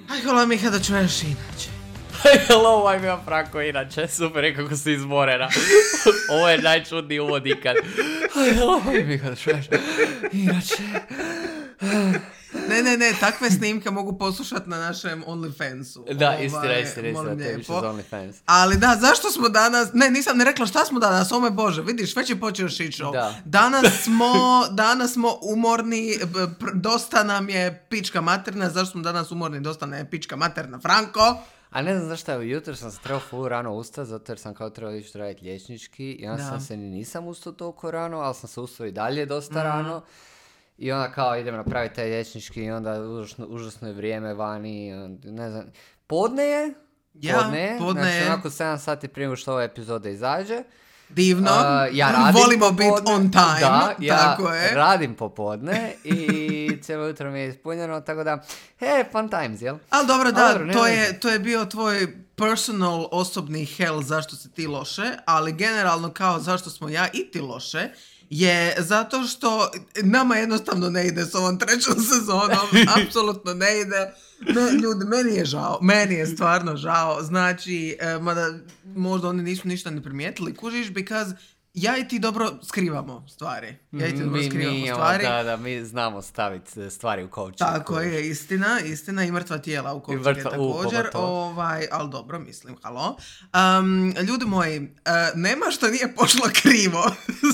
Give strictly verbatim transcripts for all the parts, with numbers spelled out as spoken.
Aj, hvala Miha da čuješ inače. Hello, I'm ja Franko, inače, super je kako si izmorena. Ovo je najčudniji uvod ikad. Hello, I'm Miha da čuješ inače. Ne, ne, ne, takve snimke mogu poslušati na našem OnlyFansu. Da, istina, istina, istina, to je više za OnlyFans. Ali da, zašto smo danas, ne, nisam ne rekla šta smo danas, o moj Bože, vidiš, već je počeo shit show. Da. Danas smo, danas smo umorni, pr- dosta nam je pička materna, zašto smo danas umorni, dosta nam je pička materna, Franko? A ne znam zašto, jutro sam se trebao full rano ustati, zato jer sam kao trebao ići raditi liječnički i onda Da. sam se ni nisam ustao toliko rano, ali sam se ustao i dalje dosta rano. I onda kao idem napraviti taj liječnički i onda užasno, užasno je vrijeme vani, i onda, ne znam, podne je, Ja, podne je, podne znači je. onako sedam sati prije nego što ova epizoda izađe. Divno, Uh, ja radim volimo biti popodne. on time, Da, ja tako je. radim popodne i cijelo jutro mi je ispunjeno, tako da, he, fun times, jel? Ali dobro, da, Dobro, ne to, veze. je, to je bio tvoj personal, osobni hell zašto si ti loše, ali generalno kao zašto smo ja i ti loše, je zato što nama jednostavno ne ide s ovom trećom sezonom, apsolutno ne ide. Ne, ljudi, meni je žao, meni je stvarno žao, znači, e, mada možda oni nisu ništa ne primijetili, kužiš, because ja i ti dobro skrivamo stvari. Ja i ti dobro Mi, skrivamo mi, imamo- stvari. da, da, mi znamo staviti stvari u coaching. Tako je, istina, istina i mrtva tijela u coachingu mrtva- u, također, pogotovo. ovaj, ali dobro, mislim, halo. Um, ljudi moji, uh, nema što nije pošlo krivo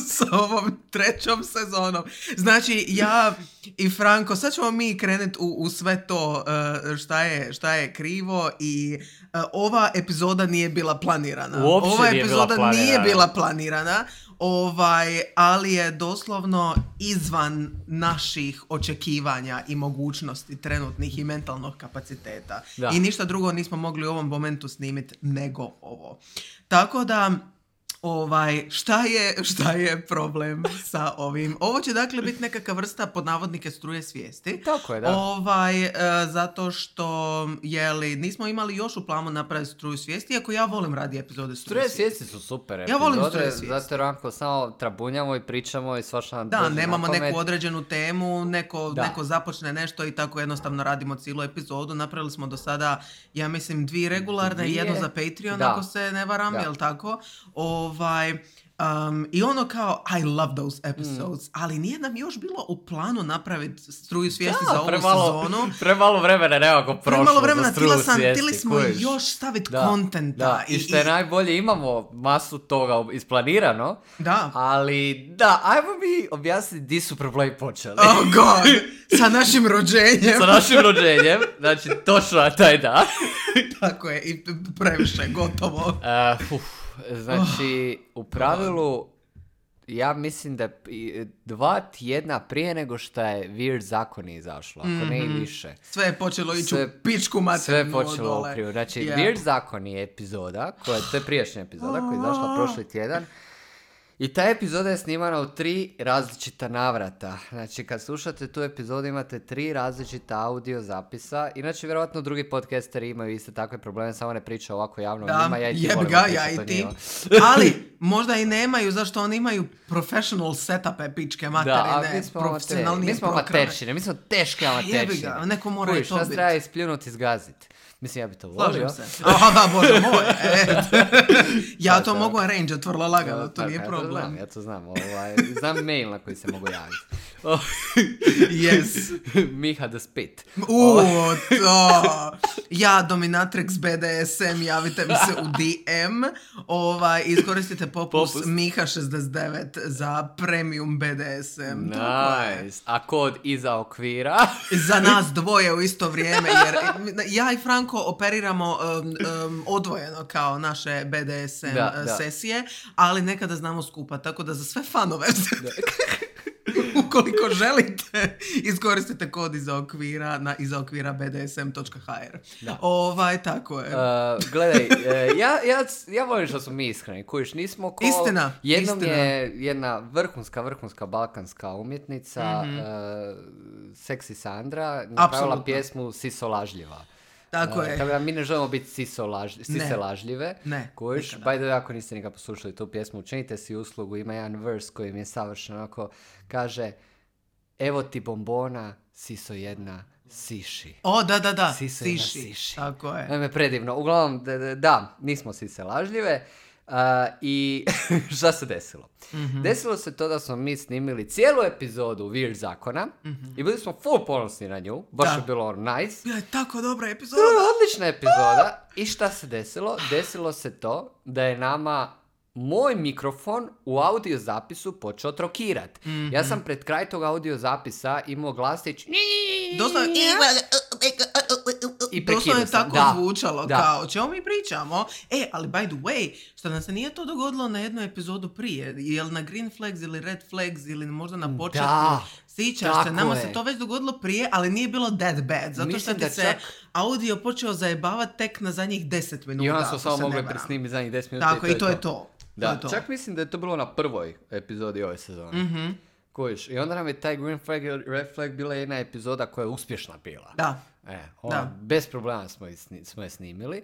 s ovom trećom sezonom. Znači, ja i Franko, sad ćemo mi krenuti u, u sve to uh, šta, je, šta je krivo i uh, ova epizoda nije bila planirana. Uopće ova nije bila epizoda nije planirana. bila planirana. Ovaj, ali je doslovno izvan naših očekivanja i mogućnosti trenutnih i mentalnog kapaciteta. Da. I ništa drugo nismo mogli u ovom momentu snimiti nego ovo. Tako da, ovaj, šta je, šta je problem sa ovim? Ovo će dakle biti nekakva vrsta pod navodnike struje svijesti. Tako je, da. Ovaj, e, zato što, jeli, nismo imali još u planu napraviti struju svijesti, iako ja volim radi epizode struje, Struje svijesti. svijesti su super Ja volim epizode, struje svijesti. zato jer onako samo trabunjamo i pričamo i svašta nam Da, dođe nemamo na pamet. neku određenu temu, neko, Da. neko započne nešto i tako jednostavno radimo cijelu epizodu. Napravili smo do sada, ja mislim, dvije regularne i Dvije. jednu za Patreon, Da. ako se ne varam, Da. jel tako? Ovaj, um, I ono kao, I love those episodes, ali nije nam još bilo u planu napraviti struju svijesti Da, za ovu premalo, sezonu. premalo vremena nekako prošlo Premalo vremena, za struju tila sam, svijesti, tili smo kužiš. još staviti Da, kontenta. da. I što je najbolje, imamo masu toga isplanirano, Da. ali da, ajmo mi objasniti di su problemi počeli. Oh god, sa našim rođenjem. Sa našim rođenjem, znači točno na taj dan. Tako je, i previše, gotovo. Uh, uf, znači, u pravilu, ja mislim da i- dva tjedna prije nego što je Weird zakoni izašlo, ako ne i više. Sve je počelo ići Sve- u pičku materinu. Sve je počelo dole. u krivu. Znači, Yeah. Weird zakoni je epizoda, koja, to je prijašnja epizoda koja je izašla prošli tjedan. I ta epizoda je snimana u tri različita navrata. Znači, kad slušate tu epizodu imate tri različita audio zapisa. Inače, vjerojatno drugi podcasteri imaju iste takve probleme, samo ne pričaju ovako javno o Da, njima. Ja i ti jeb volimo ga, pričati ja o i ti. njima. Ali, možda i nemaju, zašto oni imaju professional setupe pičke Da, materine, a mi smo, amater, profesionalnije mi smo programe. amateršine, mi smo teške Jebi amateršine. ga, neko mora i Kužiš, to nas bit. treba ispljunuti i zgaziti. Mislim, ja bi to volio. Slažem se. Aha, da, Bože moj. E, ja Da, to da. mogu arrange vrlo lagano, to Da, nije ja problem. To znam, ja to znam. Ovaj, znam mail na koji se mogu javiti. Yes. Miha the Spit. U, to. Ja, Dominatrix B D S M, javite mi se u D M. Ovaj, iskoristite popust, Popust. Miha šezdeset devet za premium B D S M. Tako je. Nice. A kod iza okvira? Za nas dvoje u isto vrijeme, jer ja i Franko operiramo um, um, odvojeno kao naše B D S M Da, uh, da. sesije, ali nekada znamo skupa, tako da za sve fanove ukoliko želite, iskoristite kod iza okvira na iza okvira b d s m točka h r. Da. Ovaj, tako je. Uh, gledaj, uh, ja, ja, ja volim što smo mi iskreni, kužiš, nismo ko... Istina, Jednom istina. je jedna vrhunska, vrhunska balkanska umjetnica, Mhm. uh, Seksi Sandra, napravila Apsolutno. pjesmu Siso lažljiva. Tako Uh, je. Tako da mi ne želimo biti siso laž, sise Ne. lažljive. Ne, Kužiš, nikada. by the way, ako niste nikad poslušali tu pjesmu, učinite si uslugu, ima jedan vers koji mi je savršeno onako, kaže: evo ti bombona, siso jedna, Siši. O, da, da, da, Sise na siši. siši. Tako je. Naime, predivno. Uglavnom, da, da, da nismo sise lažljive. Uh, I šta se desilo? Mm-hmm. Desilo se to da smo mi snimili cijelu epizodu Weird zakona mm-hmm. i bili smo full ponosni na nju. Baš Da. je bilo nice. Bila je tako dobra epizoda. Odlična epizoda. I šta se desilo? Desilo se to da je nama moj mikrofon u audio zapisu počeo trokirat. Mm-hmm. Ja sam pred kraj tog audio zapisa imao glasić Doslovno, i doslovno prekidao je sam. tako Da. zvučalo, Da. kao o čemu mi pričamo. E, ali by the way, što nam se nije to dogodilo na jednu epizodu prije, jel na Green Flags ili Red Flags ili možda na početku, Da, sjećaš tako se, nama je. se to već dogodilo prije, ali nije bilo that bad, zato Mislim što ti da se čak- audio počeo zajebavati tek na zadnjih deset minuta. I onda ako smo se samo ne mogli varam. presnimiti zadnjih deset minuta. Tako, i to je to. Da, to je to. čak mislim da je to bilo na prvoj epizodi ove sezone. Mhm. Kojiš? I onda nam je taj Green Flag i Red Flag bila jedna epizoda koja je uspješna bila. Da. E, ona, Da. bez problema smo, je sni- smo je snimili.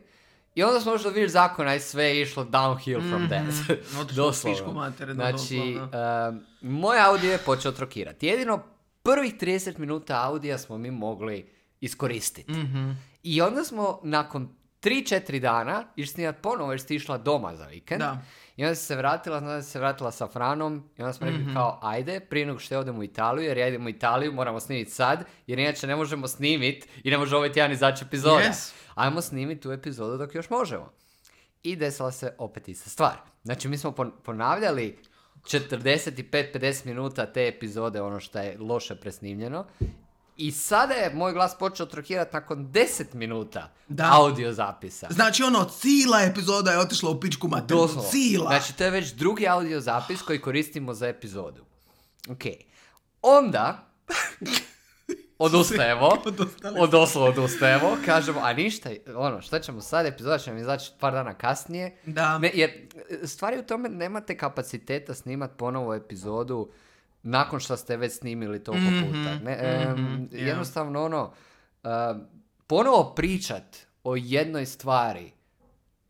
I onda smo došli do Weird zakona i sve je išlo downhill from that. Otišlo u pičku materinu, Znači, doslovno. um, moj audio je počeo trokirati. Jedino prvih trideset minuta audija smo mi mogli iskoristiti. Mhm. I onda smo nakon tri četiri dana išli snimati ponovo jer si išla doma za vikend. Da. I onda si se vratila, onda si se vratila sa Franom i onda smo rekli mm-hmm. kao ajde, prije nego što odemo u Italiju, jer ja idemo u Italiju, moramo snimiti sad, jer inače ne možemo snimiti i ne može ovaj tjedan izaći epizoda. Yes. Ajmo snimiti tu epizodu dok još možemo. I desila se opet ista stvar. Znači mi smo pon- ponavljali četrdeset pet do pedeset minuta te epizode, ono što je loše presnimljeno. I sada je moj glas počeo trokirati nakon deset minuta Da. audio zapisa. Znači ono, cijela epizoda je otišla u pičku materinu. Doslovno. Cijela. Znači, to je već drugi audio zapis koji koristimo za epizodu. Ok. Onda, odustajemo. Odustali Od doslovno odustajemo. Kažemo, a ništa, ono, šta ćemo sad, epizoda će nam izaći par dana kasnije. Da. Ne, jer stvari u tome nemate kapaciteta snimat ponovo epizodu nakon što ste već snimili toliko Mhm, puta. Ne, em, mhm, ja. Jednostavno ono, em, ponovo pričat o jednoj stvari,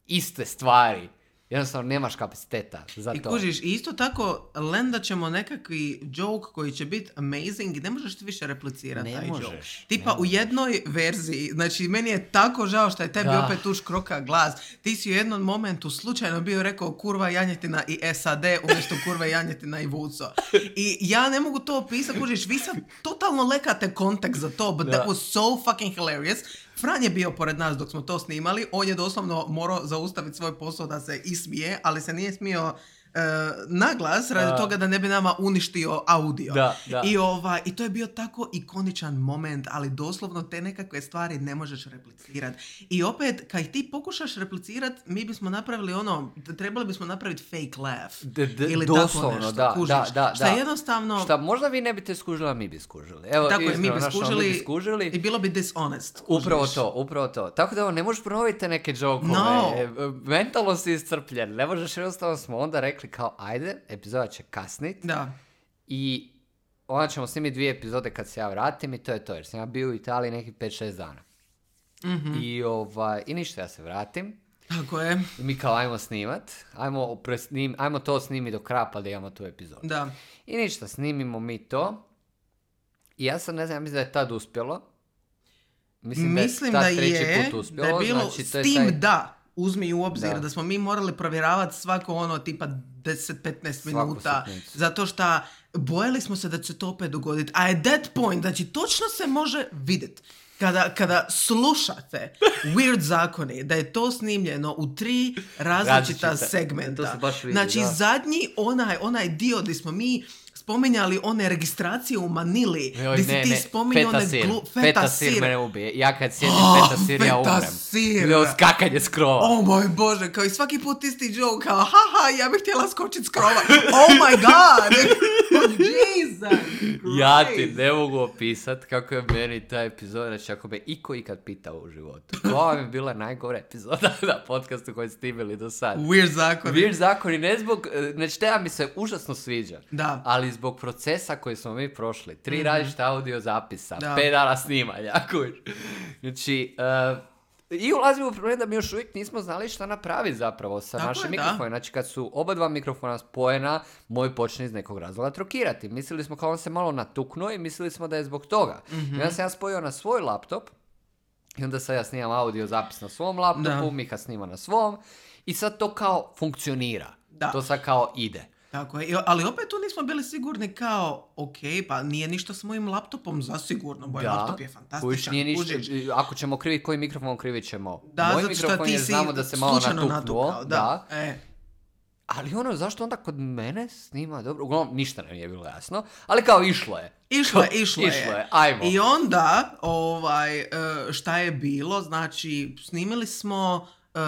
iste stvari, jednostavno nemaš kapaciteta za I to. kužiš, i isto tako lendat ćemo nekakvi joke koji će biti amazing i ne možeš ti više replicirati Ne taj možeš, joke. ne Tipa u možeš. jednoj verziji, znači meni je tako žao što je tebi Da. opet tu škroka glas. Ti si u jednom momentu slučajno bio rekao kurva janjetina i S A D umjesto kurva janjetina i vuco. I ja ne mogu to opisati, kužiš, vi sad totalno lekate kontekst za to, but Da. that was so fucking hilarious. Fran je bio pored nas dok smo to snimali, on je doslovno morao zaustaviti svoj posao da se ismije, ali se nije smio e, naglas radi A. toga da ne bi nama uništio audio. Da, da. I, ova, I to je bio tako ikoničan moment, ali doslovno te nekakve stvari ne možeš replicirati. I opet, kad ti pokušaš replicirati, mi bismo napravili ono, trebali bismo napraviti fake laugh. D- d- ili tako doslovno, nešto, da, kužiš. da, da, Šta da. jednostavno... Šta, možda vi ne biste skužili, a mi bi skužili. Evo, Tako je, mi iskreno, bi znaš, ono, skužili, mi bi skužili. i bilo bi dishonest. kužiš. Upravo to, upravo to. Tako da evo, ne možeš ponoviti te neke džokove. No. E, mentalno si iscrpljen. Ne možeš, jednostavno smo onda rekli kao, ajde, epizoda će kasnit. Da. I onda ćemo snimiti dvije epizode kad se ja vratim i to je to. Jer sam ja bio u Italiji nekih pet šest dana. Mhm. I, ovaj, I ništa, ja se vratim. Tako je. I mi kao, ajmo snimat. Ajmo, presnim, ajmo to snimiti do kraja pa da imamo tu epizodu. Da. I ništa, snimimo mi to. I ja sam, ne znam, ja mislim da je tad uspjelo. Mislim, Mislim da da je tad treći je, put uspjelo. da je bilo znači, s to je tim taj- da, uzmi u obzir Da. da, smo mi morali provjeravati svako ono tipa deset do petnaest Svaku minuta, sitnicu. zato što bojali smo se da će se to opet dogoditi. A at that point, znači točno se može vidjeti. Kada, kada slušate Weird zakoni, da je to snimljeno u tri različita Različite. segmenta. To se baš vidi, znači da. zadnji onaj, onaj dio gdje smo mi spominjali one registracije u Manili, Joj, gdje si ne, ti ne, spominjao one feta sir. glu... Feta sir mene ubije. Ja kad sjedim Oh, feta sir, ja feta umrem. sir. Ili skakanje s krova. Oh moj Bože, kao i svaki put isti joke, kao haha, ja bih htjela skočit s krova. Oh my god! Oh, Jesus! Ja ti Christ. ne mogu opisat kako je meni ta epizoda, znači ako me iko ikad pitao u životu. Koja mi je bila najgora epizoda na podcastu koji ste imali do sad. Weird zakon. Weird zakoni, ne zbog, znači tema mi se užasno sviđa, Da. ali zbog procesa koji smo mi prošli, tri različita audio zapisa, Da. pet dana snimanja, kuš. Znači, uh, I ulazimo u problem da mi još uvijek nismo znali šta napraviti zapravo sa Tako našim je, mikrofonima. da. Znači kad su oba dva mikrofona spojena, moj počne iz nekog razloga trokirati. Mislili smo kao on se malo natuknuo i mislili smo da je zbog toga. Mhm. I onda sam ja spojio na svoj laptop i onda sad ja snimam audio zapis na svom laptopu, Da. Miha snima na svom i sad to kao funkcionira. Da. To sad kao ide. Tako je, I- ali opet tu nismo bili sigurni kao, ok, pa nije ništa s mojim laptopom zasigurno, moj laptop je fantastičan. kužiš, nije ništa, kužiš. ako ćemo kriviti koji mikrofon, krivit ćemo Da, moj zato što mikrofon ti jer si znamo da se malo slučajno natuknuo. natukao, da. E. Ali ono, zašto onda kod mene snima dobro? Uglavnom, ništa nam nije bilo jasno, ali kao išlo je. Išlo je, išlo je. Išlo je, ajmo. I onda, ovaj, e, šta je bilo, znači, snimili smo, e,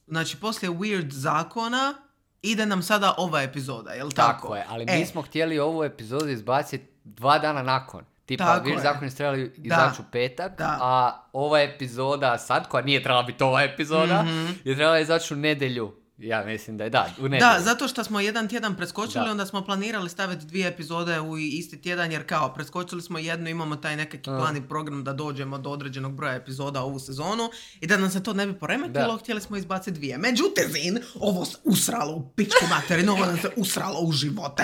znači, poslije Weird zakona, ide nam sada ova epizoda, jel tako? Tako je, ali E, mi smo htjeli ovu epizodu izbaciti dva dana nakon. Tipa, Tako Weird je. zakoni su trebali izaći u petak, Da. a ova epizoda sad, koja nije trebala biti ova epizoda, Mhm. je trebala izaći u nedjelju. Ja mislim da je, da, u nedjelju. Da, zato što smo jedan tjedan preskočili, Da. onda smo planirali staviti dvije epizode u isti tjedan, jer kao, preskočili smo jednu, imamo taj nekakvi Mm. plan i program da dođemo do određenog broja epizoda ovu sezonu i da nam se to ne bi poremetilo, Da. htjeli smo izbaciti dvije. Međutim, ovo se usralo u pičku materinu, ovo nam se usralo u živote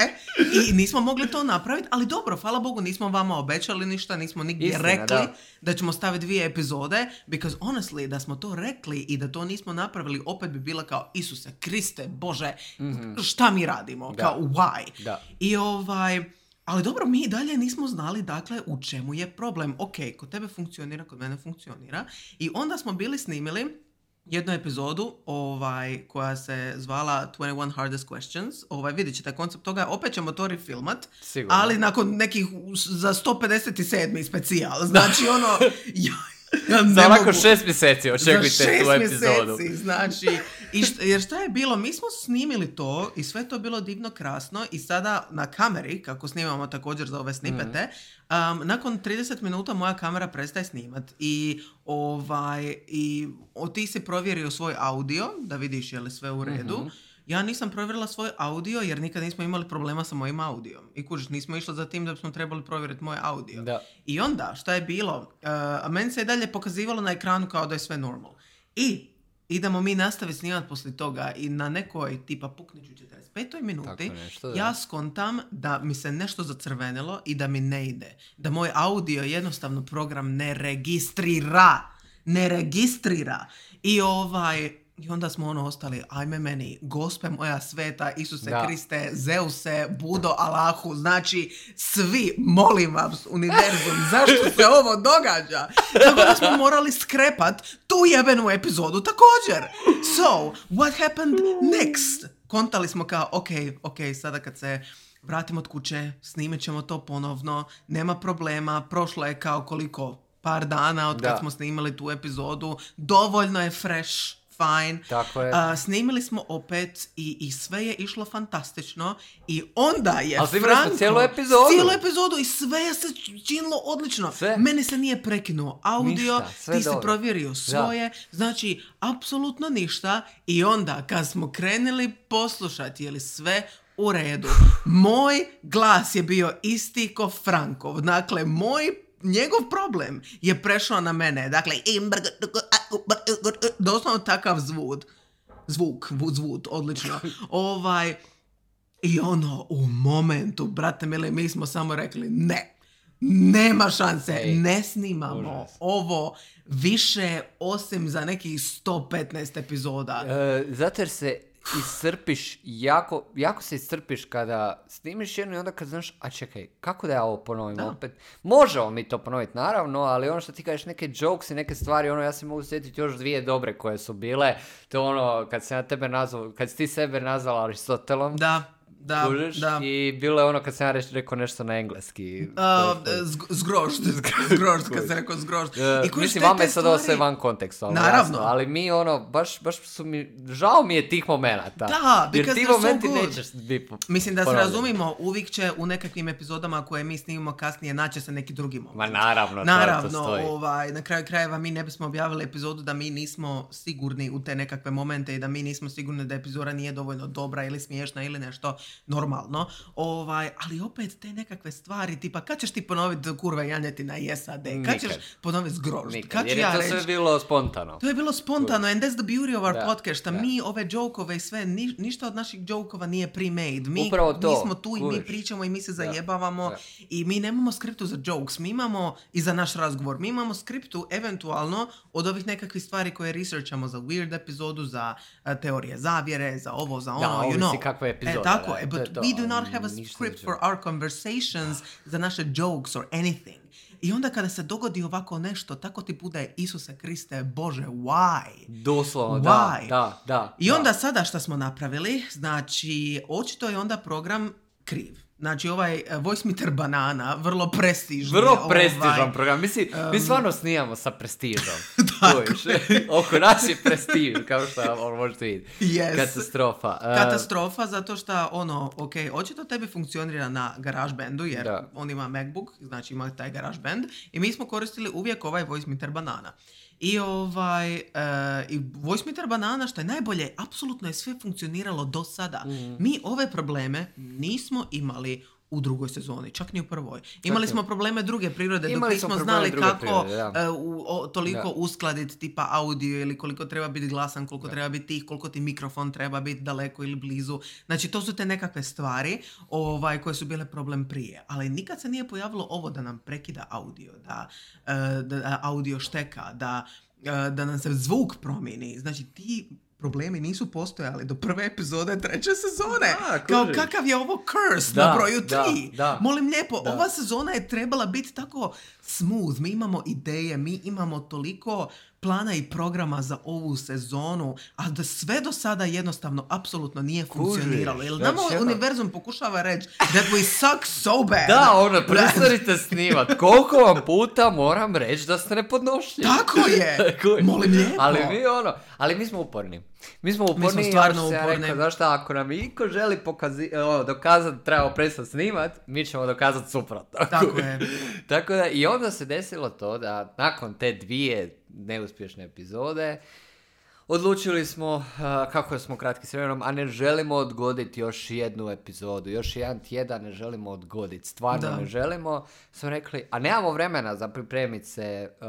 i nismo mogli to napraviti, ali dobro, hvala Bogu, nismo vama obećali ništa, nismo nigdje Istina, rekli da. da ćemo staviti dvije epizode, because honestly, da smo to rekli i da to nismo napravili, opet bi bila kao, Isuse Kriste, Bože, šta mi radimo? Da. Kao, why? Da. I ovaj, ali dobro, mi i dalje nismo znali, dakle, u čemu je problem. Ok, kod tebe funkcionira, kod mene funkcionira. I onda smo bili snimili jednu epizodu ovaj, koja se zvala twenty one Hardest Questions. Ovaj, vidjet ćete koncept toga, opet ćemo to refilmat, Sigurno. ali nakon nekih za sto pedeset sedmi specijal. Znači, ono, ja, ja ne Za onako mogu. šest mjeseci očekujte Za šest tu epizodu. mjeseci, znači, i šta, jer šta je bilo, mi smo snimili to i sve to bilo divno krasno i sada na kameri, kako snimamo također za ove snipete, um, nakon trideset minuta moja kamera prestaje snimat i ovaj, i o, ti si provjerio svoj audio, da vidiš je li sve u redu. Mhm. Ja nisam provjerila svoj audio jer nikad nismo imali problema sa mojim audijom. I kužiš, nismo išli za tim da bismo trebali provjeriti moj audio. Da. I onda, šta je bilo? Uh, a meni se i dalje pokazivalo na ekranu kao da je sve normal. I idemo mi nastaviti snimati poslije toga i na nekoj tipa pukniću četrdeset petoj minuti Tako nešto, da. ja skontam da mi se nešto zacrvenilo i da mi ne ide. Da moj audio jednostavno program ne registrira. Ne registrira. I ovaj... I onda smo ono ostali, ajme meni, Gospe moja sveta, Isuse Da. Kriste, Zeuse, Budo, Allahu, znači svi, molim vas, univerzum, zašto se ovo događa? Tako da smo morali skrepat tu jebenu epizodu također. So, what happened next? Kontali smo kao, ok, ok, sada kad se vratimo od kuće, snimit ćemo to ponovno, nema problema, prošlo je kao koliko, par dana od kad Da. smo snimali tu epizodu, dovoljno je fresh, fine. Tako je. A, snimili smo opet i, i sve je išlo fantastično i onda je Ali snimili smo Franko... cijelu epizodu. Cijelu epizodu i sve je se činilo odlično. Sve. Meni se nije prekinuo audio, Ništa, sve ti si dobro. provjerio svoje, znači apsolutno ništa i onda kad smo krenuli poslušati je li sve u redu, moj glas je bio isti ko Frankov, dakle moj njegov problem je prešao na mene. Dakle, doslovno takav zvuk. Zvuk, zvuk, odlično. Ovaj, i ono, u momentu, brate mili, mi smo samo rekli ne. Nema šanse, Ej, ne snimamo užas. ovo više osim za nekih sto petnaest epizoda. E, zato jer se iscrpiš, jako, jako se iscrpiš kada snimiš jedno i onda kad znaš, a čekaj, kako da ja ovo ponovim Da. opet? Možemo mi to ponoviti, naravno, ali ono što ti kažeš, neke jokes i neke stvari, ono, ja se mogu sjetiti još dvije dobre koje su bile, to je ono, kad se na tebe nazvao, kad si ti sebe nazvala Aristotelom, Da, da, kužiš, da. i bilo je ono kad sam ja reš, rekao nešto na engleski. Uh, zg- zgrožd, zgrožd, kad se rekao zgrožd. E, I kužiš, mislim, te- vama te je sad ovo stvari- sve van konteksta, ono, Naravno. jasno, ali mi ono, baš, baš su mi, žao mi je tih momenata. Da, jer because ti they're so momenti good. nećeš biti po- Mislim da se ponovljeni. razumimo, uvijek će u nekakvim epizodama koje mi snimimo kasnije naći se neki drugi moment. Ma naravno, to- Naravno, to stoji. ovaj, na kraju krajeva mi ne bismo objavili epizodu da mi nismo sigurni u te nekakve momente i da mi nismo sigurni da epizoda nije dovoljno dobra ili smiješna ili nešto. normalno, ovaj, ali opet te nekakve stvari, tipa, kad ćeš ti ponoviti kurva janjetina i S A D, kad ćeš ponoviti zgrožd, kad ću jer je to ja sve reći, bilo spontano. to je bilo spontano, and that's the beauty of our Da, podcast, da. mi ove džokove i sve, ni, ništa od naših džokova nije pre-made, mi, Upravo to, mi smo tu i mi kužiš. pričamo i mi se Da, zajebavamo da. i mi nemamo skriptu za jokes, mi imamo i za naš razgovor, mi imamo skriptu eventualno od ovih nekakvih stvari koje researchamo za weird epizodu, za uh, teorije zavjere, za ovo, za ono, Da, you ovisi know. kakva je epizoda, E, tako da, je, to but je to, we do not ali have a ništa script nećemo. for our conversations, za naše jokes or anything. I onda kada se dogodi ovako nešto, tako ti bude Isuse Kriste, Bože, why? Doslovno, da, Why? da, da. I da. onda sada što smo napravili, znači, očito je onda program kriv. Znači, ovaj uh, Voice Meter Banana, vrlo prestižni. Vrlo prestižan ovaj, program. Mislim, um, mi stvarno snijamo sa prestižom. Tako Čuješ? Oko nas je prestiž, kao što on možete vidjeti. Yes. Katastrofa. Uh, Katastrofa, zato što, ono, ok, očito tebi funkcionira na GarageBandu, jer Da. on ima MacBook, znači ima taj GarageBand, i mi smo koristili uvijek ovaj Voice Meter Banana. I ovaj, uh, i Voice Meter Banana, što je najbolje, apsolutno je sve funkcioniralo do sada. Mhm. Mi ove probleme nismo imali u drugoj sezoni, čak ni u prvoj. Imali smo probleme druge prirode, dok Imali smo nismo probleme znali druge kako prirode, da. uh, u, o, toliko Da. uskladiti tipa audio ili koliko treba biti glasan, koliko treba biti tih, koliko ti mikrofon treba biti daleko ili blizu. Znači, to su te nekakve stvari ovaj, koje su bile problem prije. Ali nikad se nije pojavilo ovo da nam prekida audio, da, uh, da audio šteka, da, uh, da nam se zvuk promijeni. Znači, ti problemi nisu postojali do prve epizode treće sezone. Da, Kao kužiš. kakav je ovo curse Da, na broju da, tri. da. Molim lijepo, Da. ova sezona je trebala biti tako smooth. Mi imamo ideje, mi imamo toliko plana i programa za ovu sezonu, a da sve do sada jednostavno apsolutno nije Kužiš, funkcioniralo. Jer znači, nama ono- univerzum pokušava reći that we suck so bad. Da, ono, prestanite snimat. Koliko vam puta moram reći da ste nepodnošljivi? Tako je. Kužiš. Molim lijepo. Ali mi ono, ali mi smo uporni. Mi smo uporni, smo stvarno ja što sam ja uporni. rekao, znaš šta, ako nam iko želi pokazi, ono, dokazati da trebamo prestati snimat, mi ćemo dokazati suprotno. Tako je. Tako da, i onda se desilo to da nakon te dvije neuspješne epizode, odlučili smo, uh, kako smo kratki s vremenom, a ne želimo odgoditi još jednu epizodu, još jedan tjedan ne želimo odgoditi, stvarno Da. ne želimo. Smo rekli, a nemamo vremena za pripremiti se, uh,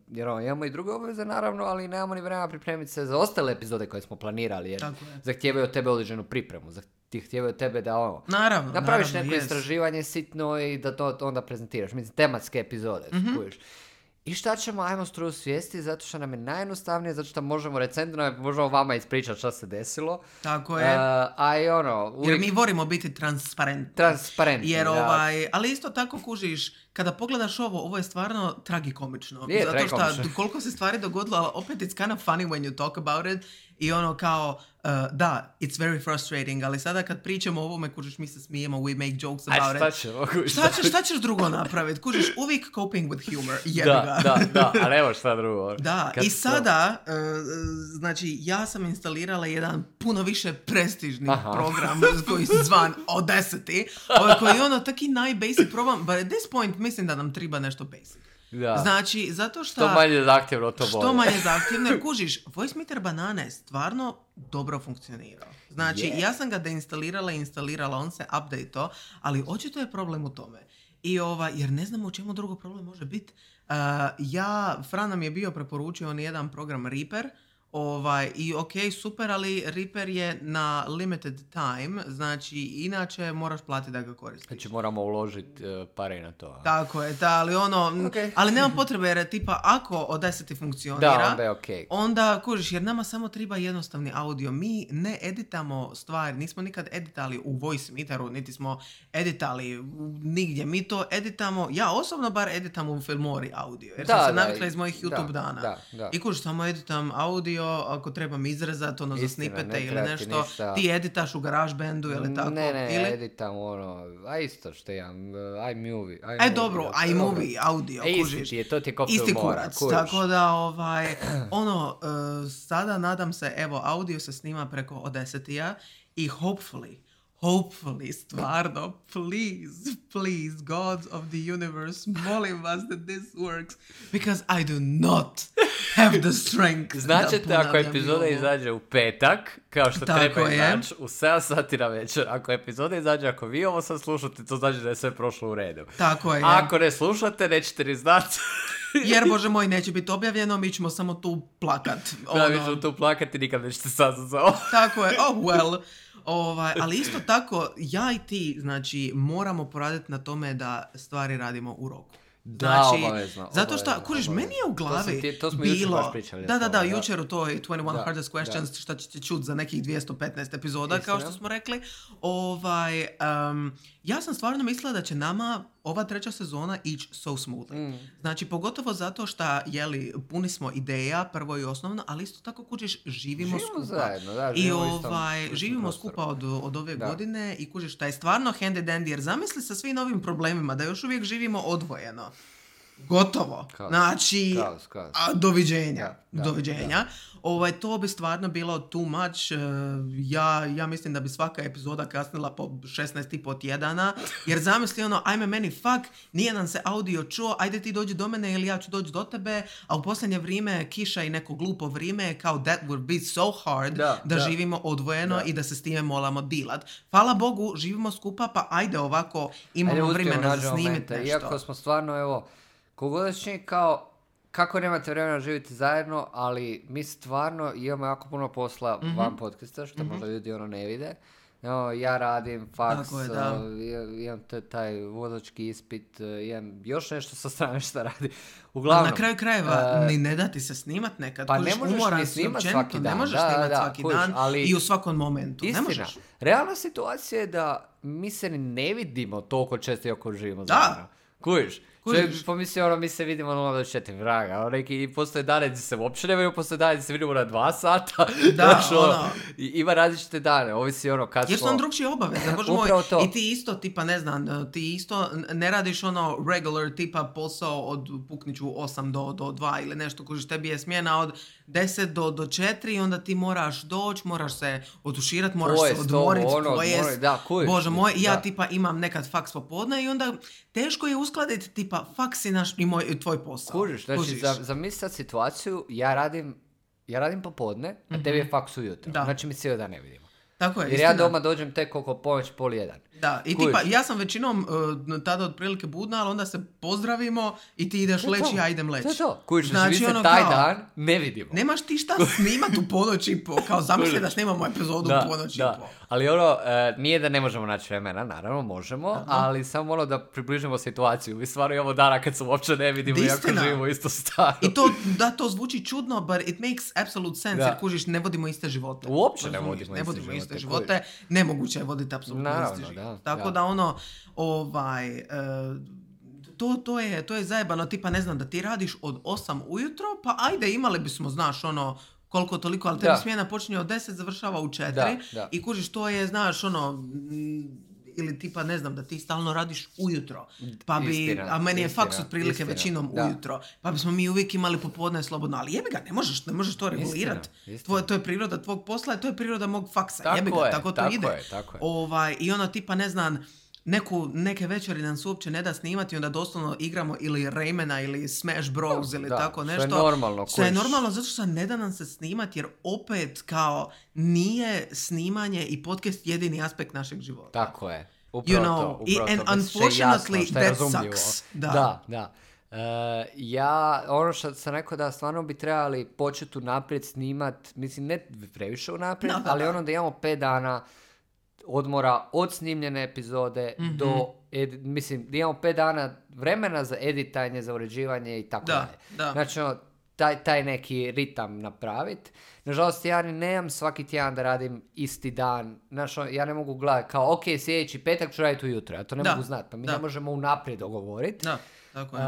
jer ono, imamo i druge obaveze naravno, ali nemamo ni vremena pripremiti se za ostale epizode koje smo planirali, jer Tako je. zahtijevaju od tebe određenu pripremu, zahtijevaju od tebe da ono, Naravno, napraviš naravno, neko yes. istraživanje sitno i da to onda prezentiraš. Mislim, tematske epizode, Mhm. kužiš. I šta ćemo, ajmo struju svijesti, zato što nam je najjednostavnije, zato što možemo recentno, možemo vama ispričati šta se desilo. Tako Uh, je. a i ono, Jer uvijek mi volimo biti transparentni. transparentni. Jer da. ovaj, ali isto tako kužiš, kada pogledaš ovo, ovo je stvarno tragikomično. Je Zato što tragikomično. koliko se stvari dogodilo, ali opet it's kind of funny when you talk about it. I ono kao, uh, da, it's very frustrating, ali sada kad pričamo o ovome, kužiš, mi se smijemo, we make jokes Aj, about šta it. ćemo, kužiš? Šta ćeš, šta ćeš drugo napraviti? Kužiš, uvijek coping with humor. Jebi Da, ga. da, da, ali evo šta drugo. Da, Kad i to- sada, uh, znači, ja sam instalirala jedan puno više prestižni Aha. program koji se zvan Audacity, ovaj koji je ono taki najbasic program, but at this point mislim da nam treba nešto basic. Da. Znači, zato što... Što manje zahtjevno, to bolje. Što manje zahtjevno, jer kužiš, Voice Meter Banana je stvarno dobro funkcionirao. Znači, Je. ja sam ga deinstalirala i instalirala, on se update-o, ali očito je problem u tome. I ova, jer ne znamo u čemu drugo problem može biti. Uh, ja, Fran nam je bio preporučio on jedan program Reaper, ovaj, i ok, super, ali Reaper je na limited time, znači inače moraš platiti da ga koristiš. Znači moramo uložiti uh, pare na to. a? Tako je, da, ali ono, m, Ok. ali nema potrebe jer tipa ako Audacity funkcionira, Da, onda je okej. onda kužiš, jer nama samo treba jednostavni audio. Mi ne editamo stvari, nismo nikad editali u Voice Meteru, niti smo editali u- nigdje. Mi to editamo, ja osobno bar editam u Filmori audio, jer Da, sam se da, navikla iz mojih da, YouTube dana. da, da. I kužiš, samo editam audio, ako trebam izrezati ono za Istina, snipete ne ili treba ti nešto, ništa. ti editaš u GarageBandu ili tako. Ne, ne, ili... editam ono, a isto što imam, uh, iMovie. E dobro, iMovie audio, E, kužiš. isti ti je, to ti je ko Isti Filmora, kurac, kužiš. tako da ovaj, ono, uh, sada nadam se, evo, audio se snima preko Audacity-a i hopefully, hopefully, stvarno, please, please, gods of the universe, molim vas da this works, because I do not have the strength. Značite ako epizoda izađe u petak, kao što Tako treba je. izaći, u sedam sati na večer. Ako epizoda izađe, ako vi ovo sad slušate, to znači da je sve prošlo u redu. Tako je. Ako ne slušate, nećete ni znati. Jer, Bože moj, neće biti objavljeno, mi ćemo samo tu plakat. Da, mi ćemo tu plakati, nikad nećete saznat za ovo. Tako je, oh well. Ovaj, ali isto tako, ja i ti, znači, moramo poraditi na tome da stvari radimo u roku. Da, Znači, obavezno, zato što, obavezno, kužiš, obavezno. meni je u glavi To sam ti- to smo jučer bilo... baš pričali Da, o da, tome, da, da. jučer u toj dvadeset jedan Da, Hardest Questions, da. šta ćete čuti za nekih dvjesto petnaest epizoda, kao Istina. što smo rekli. Ovaj, um, ja sam stvarno mislila da će nama ova treća sezona ići so smoothly. Mm. Znači, pogotovo zato što, jeli, puni smo ideja, prvo i osnovno, ali isto tako, kužiš, živimo, Živimo skupa. zajedno, da, I živimo u istom- ovaj, istom živimo prostoru. skupa od, od ove Da. godine i kužiš, taj je stvarno handy dandy, jer zamisli sa svim novim problemima, da još uvijek živimo odvojeno. Gotovo. Kaos. Znači, Kaos, kaos. a, doviđenja. Da, da, doviđenja. Ovaj, to bi stvarno bilo too much. E, Ja, ja mislim da bi svaka epizoda kasnila po šesnaest i po tjedana. Jer zamisli ono, ajme meni fuck, nije nam se audio čuo, ajde ti dođi do mene ili ja ću doći do tebe, a u posljednje vrijeme kiša i neko glupo vrijeme je kao that would be so hard da, Da, da. živimo odvojeno Da. i da se s time moramo dilat. Hvala Bogu, živimo skupa, pa ajde ovako imamo Ajde, uspijemo, vremena za nađemo snimiti momente. nešto. Iako smo stvarno, evo, kogod da se čini kao, kako nemate vremena živjeti zajedno, ali mi stvarno imamo jako puno posla Mhm. van podcasta, što možda ljudi ono ne vide. Evo, ja radim faks, Tako je, da. uh, imam- imam t- taj vozački ispit, uh, imam još nešto sa strane što radi. Uglavnom, Ali na kraju krajeva, uh, ni ne da ti se snimat nekad. pa kužiš, ne možeš umoran ni si snimat općenito, svaki dan, Ne možeš da, snimat da, svaki kužiš, dan ali- i u svakom momentu. istina, Ne možeš. realna situacija je da mi se ni ne vidimo toliko često iako živimo Da. zajedno. Kužiš? Kužiš. Čovjek bi pomislio, ono, mi se vidimo nula do četiri vraga, ono, neki, i postoje dane gdje se uopće ne vidimo, postoje dane gdje se vidimo na dva sata, Da, znaš, ono, ono. i- ima različite dane, ovisi ono kad Jer su smo... nam drugčije obaveze, bože moj. Upravo to. I ti isto, tipa, ne znam, ti isto ne radiš ono regular tipa posao od pukniću osam do, do dva ili nešto, kužiš, tebi je smjena od deset do, do četiri i onda ti moraš doći, moraš se otuširat, moraš Pojest se odmorit, ovo, ono, pojest. odmorit, da, kužiš, Bože moj, i ja da. tipa imam nekad faks popodne i onda teško je uskladiti tipa faks i naš i moj, tvoj posao. Kužiš, znači, za, zamisli sad situaciju, ja radim, ja radim popodne, a tebi je faks ujutro, Da. znači mi cijeli dan ne vidimo. Tako je, Jer istina. ja doma dođem tek oko ponoć, pol jedan. Da, i Kužiš. tipa, ja sam većinom uh, tada otprilike budna, ali onda se pozdravimo i ti ideš To je leći, to. ja idem leći. To je to. Kužiš, znači, mi se ono taj kao, dan ne vidimo. Nemaš ti šta snimat u ponoć i po, kao zamisli da snimamo epizodu u ponoć i da. po. Ali ono, e, nije da ne možemo naći vremena, naravno možemo, ali samo ono da približimo situaciju. Mi stvarno imamo dana kad se uopće ne vidimo iako Istina. živimo isto staro. I to, da, to zvuči čudno, but it makes absolute sense, Da. jer kužiš, ne vodimo iste živote. Uopće ne Razumiješ? vodimo ne iste vodimo iste živote, živote, nemoguće je voditi apsolutno Naravno, isti život. da, Tako da. da ono, ovaj, e, to, to, je, to je zajebano, tipa ne znam, da ti radiš od osam ujutro, pa ajde imali bismo, znaš, ono, koliko toliko, ali tebi Da. smjena počinje od deset, završava u četiri Da, da. i kužiš, to je, znaš, ono, mm, ili tipa, ne znam, da ti stalno radiš ujutro, pa bi, Istina, a meni je istina, faks otprilike istina, većinom da. ujutro, pa bismo mi uvijek imali popodne slobodno, ali jebi ga, ne možeš, ne možeš to regulirati. Istina, istina. Tvoje, to je priroda tvog posla, to je priroda mog faksa, Tako jebi ga, je, tako to tako ide. je, tako je. Ovaj, i ono tipa, ne znam, neku, neke večeri nam se uopće ne da snimati, onda doslovno igramo ili Raymana ili Smash Bros ili Da, tako što je nešto. normalno, Što je kužiš. normalno zato što ne da nam se snimati, jer opet kao nije snimanje i podcast jedini aspekt našeg života. Tako je. Upravo You know, to, i- upravo and to, da se jasno, unfortunately što je that razumljivo. sucks. Da. Da, da. E, ja, ono što sam rekao da stvarno bi trebali početi unaprijed snimat, mislim ne previše unaprijed, Da, da, ali da. ono da imamo pet dana odmora od snimljene epizode Mhm. do, edi- mislim, da imamo pet dana vremena za editanje, za uređivanje i tako Da, dalje. da. Znači, ono, taj, taj neki ritam napraviti. Nažalost, ja ni nemam svaki tjedan da radim isti dan. Znaš, ono, ja ne mogu gledati kao, ok, sljedeći petak ću raditi ujutro. Ja to ne Da, mogu znati, pa mi da. ne možemo unaprijed dogovoriti. Da, tako je.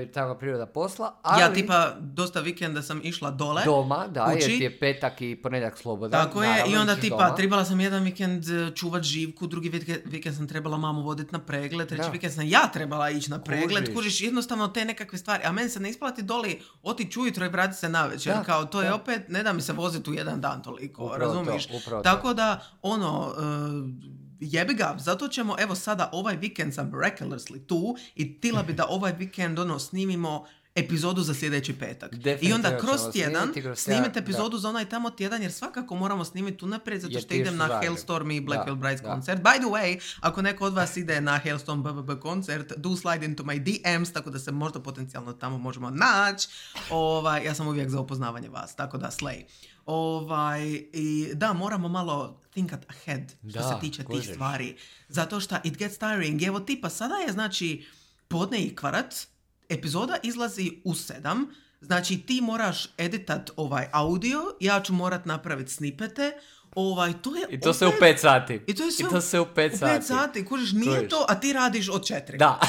Uh, tamo je priroda posla, ali Ja tipa dosta vikenda sam išla dole. doma, da, jer kući. ti je petak i ponedjeljak slobodan. Tako je, naravno, i onda ideš tipa doma. trebala sam jedan vikend eh, čuvat Živku, drugi vikend, vikend sam trebala mamu voditi na pregled, treći Da. vikend sam ja trebala ići na pregled, Kužiš. kužiš jednostavno te nekakve stvari, a meni se ne isplati doli otići ujutro i vrati se navečer, Da, kao to je da. opet, ne da mi se voziti u jedan dan toliko, Upravo to, razumiješ? upravo to. Tako da, ono, eh, jebi ga, zato ćemo, evo sada ovaj vikend sam miraculously tu i tila bi da ovaj vikend ono snimimo epizodu za sljedeći petak. I onda kroz tjedan snimite epizodu da. za onaj tamo tjedan, jer svakako moramo snimiti unaprijed, zato što idem na Hailstorm i Black Veil Brides koncert. By the way, ako neko od vas ide na Hailstorm B B B koncert, do slide into my D Ms, tako da se možda potencijalno tamo možemo naći. Ovaj, ja sam uvijek za upoznavanje vas, tako da slay. Ovaj, i da, moramo malo thinkat ahead što da, se tiče kožeš. tih stvari. Zato što it gets tiring. Evo tipa, sada je znači podne i kvarac, epizoda izlazi u sedam, znači ti moraš editat ovaj audio, ja ću morat napraviti snipete, ovaj, to je I to opet, se u pet sati. I to, je sve I to se u pet u sati. pet sati, kužiš, nije Kužiš. to, a ti radiš od četiri. Da.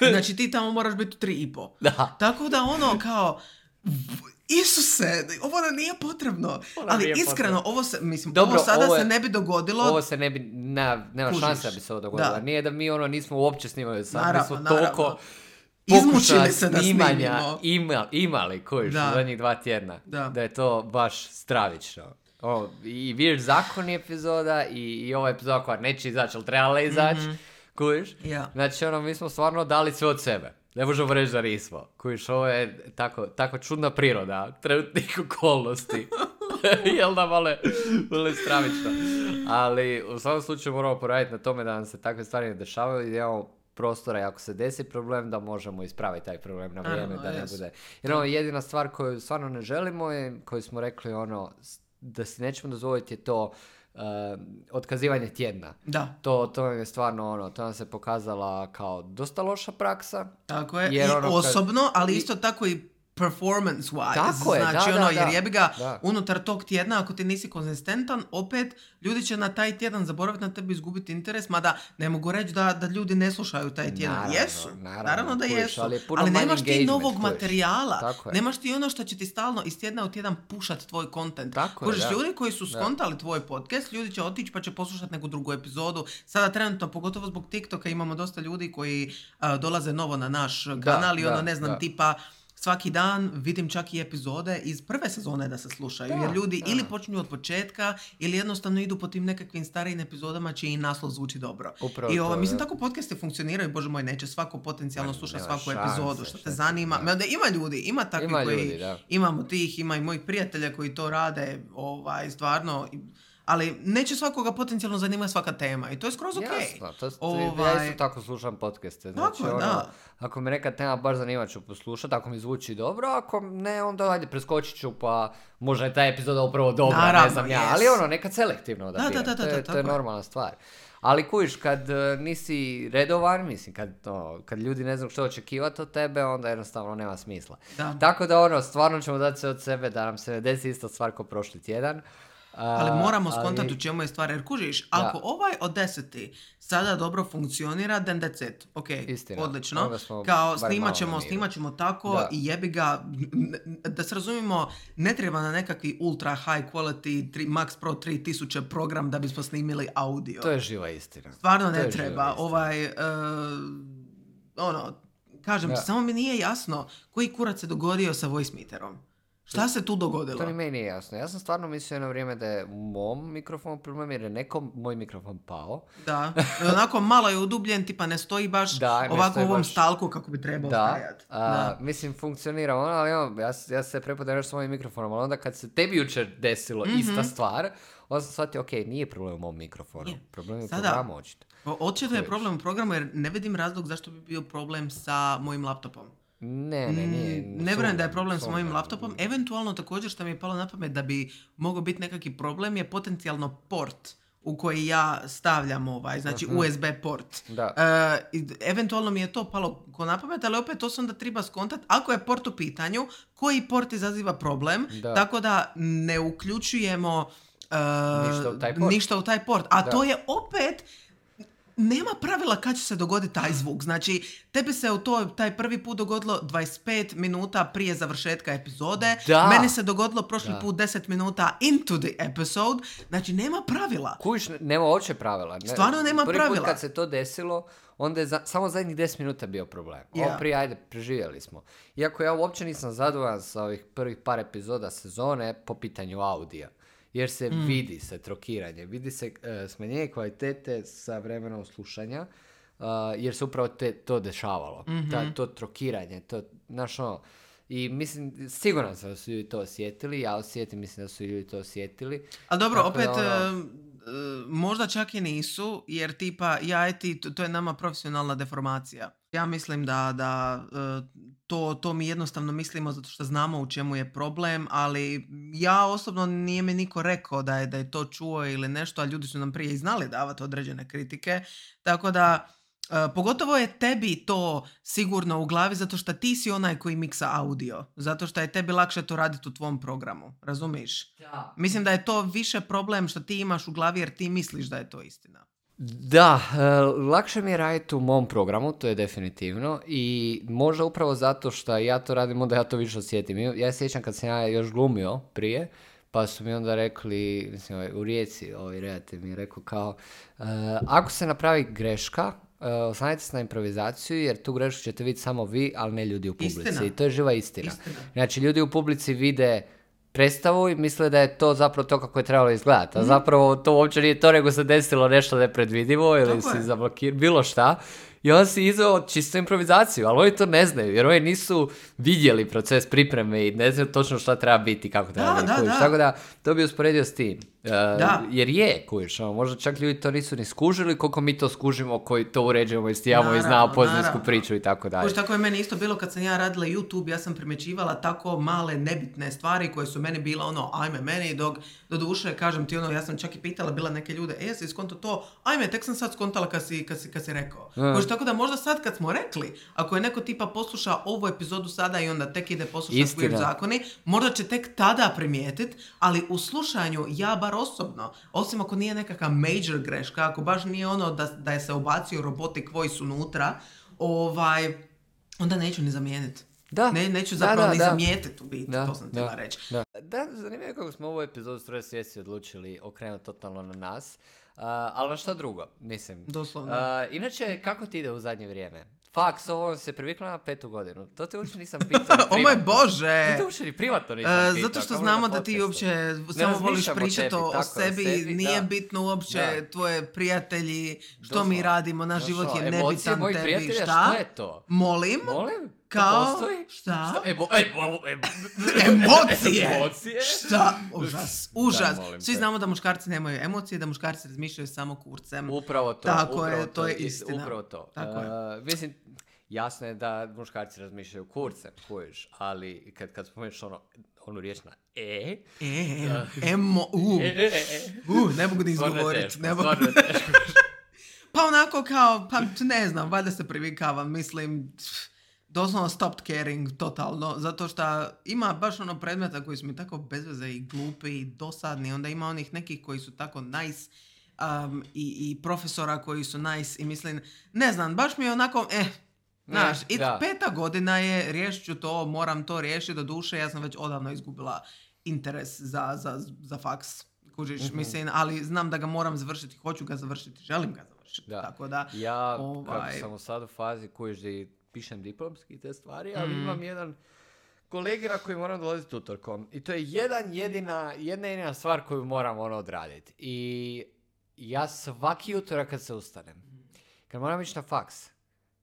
Znači ti tamo moraš biti tri i po. Da. Tako da ono kao, Isuse, ovo nam nije potrebno. Ona ali nije iskreno, potrebno. ovo se, mislim, Dobro, ovo sada ovo je, se ne bi dogodilo. Ovo se ne bi, ne, nema Kužiš. šanse da bi se ovo dogodilo. Da. Nije da mi ono nismo uopće snimali sad. Naravno, mi smo naravno. toliko izmučili se da snimanja ima, imali kojiš u zadnjih dva tjedna. Da. da je to baš stravično. O, I vidiš zakon epizoda i, i ova epizoda koja neće izaći, ali trebala izaći. Mm-hmm. Kužiš? Yeah. Znači ono, mi smo stvarno dali sve od sebe. Ne možemo reći da nismo. Kužiš, ovo je tako, tako čudna priroda trenutnih okolnosti. Jel da male, male stravično. Ali u svakom slučaju moramo poraditi na tome da nam se takve stvari ne dešavaju i da imamo prostora i ako se desi problem da možemo ispraviti taj problem na vrijeme. Ano, da ne yes. bude. Jer ono, jedina stvar koju stvarno ne želimo je, koju smo rekli ono, da si nećemo dozvoliti je to Uh, otkazivanje tjedna. Da. To, to je stvarno ono, to nam se pokazala kao dosta loša praksa. Tako je, jer i ono, osobno, kad, ali isto tako i performance-wise. Tako je, znači, da, ono, da, jer da, jebi ga, da. unutar tog tjedna, ako ti nisi konzistentan, opet ljudi će na taj tjedan zaboraviti na tebi, izgubiti interes, mada ne mogu reći da, da ljudi ne slušaju taj tjedan. Naravno, jesu, naravno, naravno da kuš, jesu, ali, ali nemaš ti novog kuš. materijala, Tako nemaš ti ono što će ti stalno iz tjedna u tjedan pušat tvoj kontent. Kužiš, ljudi koji su skontali tvoj podcast, ljudi će otići pa će poslušati neku drugu epizodu. Sada trenutno, pogotovo zbog TikToka, imamo dosta ljudi koji uh, dolaze novo na naš da, kanal i ono, da, ne znam, da. tipa svaki dan vidim čak i epizode iz prve sezone da se slušaju, da, jer ljudi da. ili počinju od početka ili jednostavno idu po tim nekakvim starijim epizodama čiji i naslov zvuči dobro. Upravo I ovo, to, mislim, da. tako podcasti funkcioniraju, bože moj, neće svako potencijalno sluša svaku šanse, epizodu, što te zanima. Da. Da, ima ljudi, ima takvi ima koji, ljudi, da. imamo tih, ima i mojih prijatelja koji to rade, ovaj, stvarno, ali neće svakoga potencijalno zanima svaka tema i to je skroz okej. Jasno, to, ovaj... ja isto tako slušam podcaste. Znači, tako, ono, da. ako me neka tema baš zanima ću poslušati, ako mi zvuči dobro, ako ne, onda ajde preskočit ću pa možda je ta epizoda upravo dobra, naravno, ne znam ja, yes. ali ono, nekad selektivno da, da, da, da, da, to, je, da, to je normalna stvar. Ali kužiš, kad uh, nisi redovan, mislim, kad, no, kad ljudi ne znaju što očekivati od tebe, onda jednostavno nema smisla. Da. Tako da ono, stvarno ćemo dati sve od sebe da nam se ne desi isto stvar ko prošli tjedan. Uh, ali moramo skontati ali... u čemu je stvar, jer kužiš, ako da. ovaj od deseti sada dobro funkcionira, then that's it. Ok, Istina. odlično. Kao snimat ćemo, snimat ćemo tako da. i jebi ga, da se razumimo, ne treba na nekakvi ultra high quality tri, Max Pro tri tisuće program da bismo snimili audio. To je živa istina. Stvarno ne treba. Ovaj, uh, ono, kažem ti, samo mi nije jasno koji kurac se dogodio sa voice meterom. Šta se tu dogodilo? To ni meni nije jasno. Ja sam stvarno mislio na vrijeme da je u mom mikrofonu problem jer je nekom moj mikrofon pao. Da, onako malo je udubljen, tipa ne stoji baš da, ovako u ovom baš... stalku kako bi trebao stajati. Da, da. Mislim, funkcionira ono, ali ono, ja, ja se prepodajem s mojim mikrofonom, ali onda kad se tebi jučer desilo mm-hmm. ista stvar, onda sam shvatio, ok, nije problem u mom mikrofonu, je. problem je u programu očito. Očito je problem u programu jer ne vidim razlog zašto bi bio problem sa mojim laptopom. Ne, ne, nije. Ne vjerujem da je problem s mojim laptopom. Eventualno također što mi je palo na pamet da bi mogao biti nekakvi problem je potencijalno port u koji ja stavljam ovaj, znači uh-huh. U S B port. Da. Uh, eventualno mi je to palo ko na pamet, ali opet to se onda treba skontat. Ako je port u pitanju, koji port izaziva problem, da. tako da ne uključujemo uh, ništa u taj port. Ništa u taj port. A da. to je opet... Nema pravila kad će se dogoditi taj zvuk. Znači, tebi se u to, taj prvi put dogodilo dvadeset pet minuta prije završetka epizode. Da. Meni se dogodilo prošli da. put deset minuta into the episode. Znači, nema pravila. Kujiš, nema uopće pravila. Ne, Stvarno nema prvi pravila. Prvi put kad se to desilo, onda je za, samo zadnjih deset minuta bio problem. Yeah. Ovo prije, ajde, preživjeli smo. Iako ja uopće nisam zadovoljan sa ovih prvih par epizoda sezone po pitanju audija. jer se mm. vidi se trokiranje, vidi se uh, smanjenje kvalitete sa vremenom slušanja, uh, jer se upravo te, to dešavalo, mm-hmm. Ta, to trokiranje, to, znaš ono, i mislim, siguran sam da su ljudi to osjetili, ja osjetim, mislim da su ljudi to osjetili. Ali dobro, tako opet, da, ono, uh, možda čak i nisu, jer tipa, ja i ti, to, to je nama profesionalna deformacija. Ja mislim da, da uh, to, to mi jednostavno mislimo zato što znamo u čemu je problem, ali ja osobno nije mi niko rekao da je, da je to čuo ili nešto, a ljudi su nam prije i znali davati određene kritike, tako da Uh, pogotovo je tebi to sigurno u glavi zato što ti si onaj koji miksa audio. Zato što je tebi lakše to raditi u tvom programu. Razumiš? Da. Mislim da je to više problem što ti imaš u glavi jer ti misliš da je to istina. Da, uh, lakše mi je raditi u mom programu, to je definitivno. I možda upravo zato što ja to radim, onda ja to više osjetim. Ja se sjećam kad sam ja još glumio prije, pa su mi onda rekli, mislim, u Rijeci, ovaj redatelj mi je rekao kao, uh, ako se napravi greška, Uh, oslanjajte se na improvizaciju, jer tu grešku ćete vidjeti samo vi, ali ne ljudi u publici. Istina. I to je živa istina. istina. Znači, ljudi u publici vide predstavu i misle da je to zapravo to kako je trebalo izgledati. A mm. zapravo to uopće nije to, nego se desilo nešto nepredvidivo ili si zablokirao, bilo šta. I on si izveo čisto improvizaciju, ali oni to ne znaju, jer oni nisu vidjeli proces pripreme i ne znaju točno šta treba biti, kako treba da, biti. Da, da. Tako da, to bi usporedio s tim. Uh, jer je, kužiš, ono, možda čak ljudi to nisu ni skužili, koliko mi to skužimo, koji to uređujemo i stijamo i znamo pozadinsku priču i tako dalje. Kužiš, tako je meni isto bilo kad sam ja radila YouTube, ja sam primjećivala tako male nebitne stvari koje su meni bila ono, ajme meni, dok do duše, kažem ti ono, ja sam čak i pitala bila neke ljude, e, jesi skonto to, ajme, tek sam sad skontala kad si, kad si, kad si rekao. Mm. Kužiš, tako da možda sad kad smo rekli, ako je neko tipa posluša ovu epizodu sada i onda tek ide poslušati Queer zakoni, možda će tek tada primijetiti, ali u slušanju ja bar osobno, osim ako nije nekakva major greška, ako baš nije ono da, da je se ubacio robotic voice unutra, ovaj, onda neću ni zamijeniti. Da. Ne, neću zapravo da, da, ni da. zamijetiti u biti, da, to sam htjela reći. Da, da zanimljivo kako smo ovu epizodu Stroje svijesti odlučili okrenuti totalno na nas. Uh, ali na što drugo, mislim. Doslovno. Uh, inače, kako ti ide u zadnje vrijeme? Faks, ovo se privikla na petu godinu. To te uopće nisam pitao. O moj Bože! To te uopće ni privatno nisam pitao. Zato što znamo da ti uopće samo voliš pričati o, o sebi, o sebi, nije da. bitno uopće da. tvoje prijatelji, što Doslovno. mi radimo, naš život je nebitan tebi. Šta? Što je to? Molim? Molim? Kao? Postoji? Šta? Šta? Ebo, ebo, ebo. Emocije! Emocije? Šta? Užas, užas. Da, Svi znamo da muškarci nemaju emocije, da muškarci razmišljaju samo kurcem. Upravo to. Tako upravo je, to, to je istina. Upravo to. Tako uh, je. Mislim, jasno je da muškarci razmišljaju kurcem, kojiš, ali kad, kad spomeniš ono, onu riječ na e... E, uh, emo, u, e, e, e. uh, ne mogu da izgovoriti. Ne mogu. Pa onako kao, pa ne znam, valjda se privikavam, mislim... Doslovno stopped caring, totalno, zato što ima baš ono predmeta koji su mi tako bezveze i glupi i dosadni, onda ima onih nekih koji su tako nice um, i, i profesora koji su nice i mislim, ne znam, baš mi je onako, eh, znaš, i peta godina je, riješit ću to, moram to riješiti do duše, ja sam već odavno izgubila interes za, za, za faks, kužiš, mm-hmm. mislim, ali znam da ga moram završiti, hoću ga završiti, želim ga završiti, da. Tako da, ja, ovaj... kako sam u sad u fazi kužiš da i pišem diplomski te stvari, ali mm. imam jedan kolegira koji moram dolaziti utorkom. I to je jedan jedina, jedna jedina stvar koju moram ono odraditi. I ja svaki utorak kad se ustanem, kad moram ići na faks,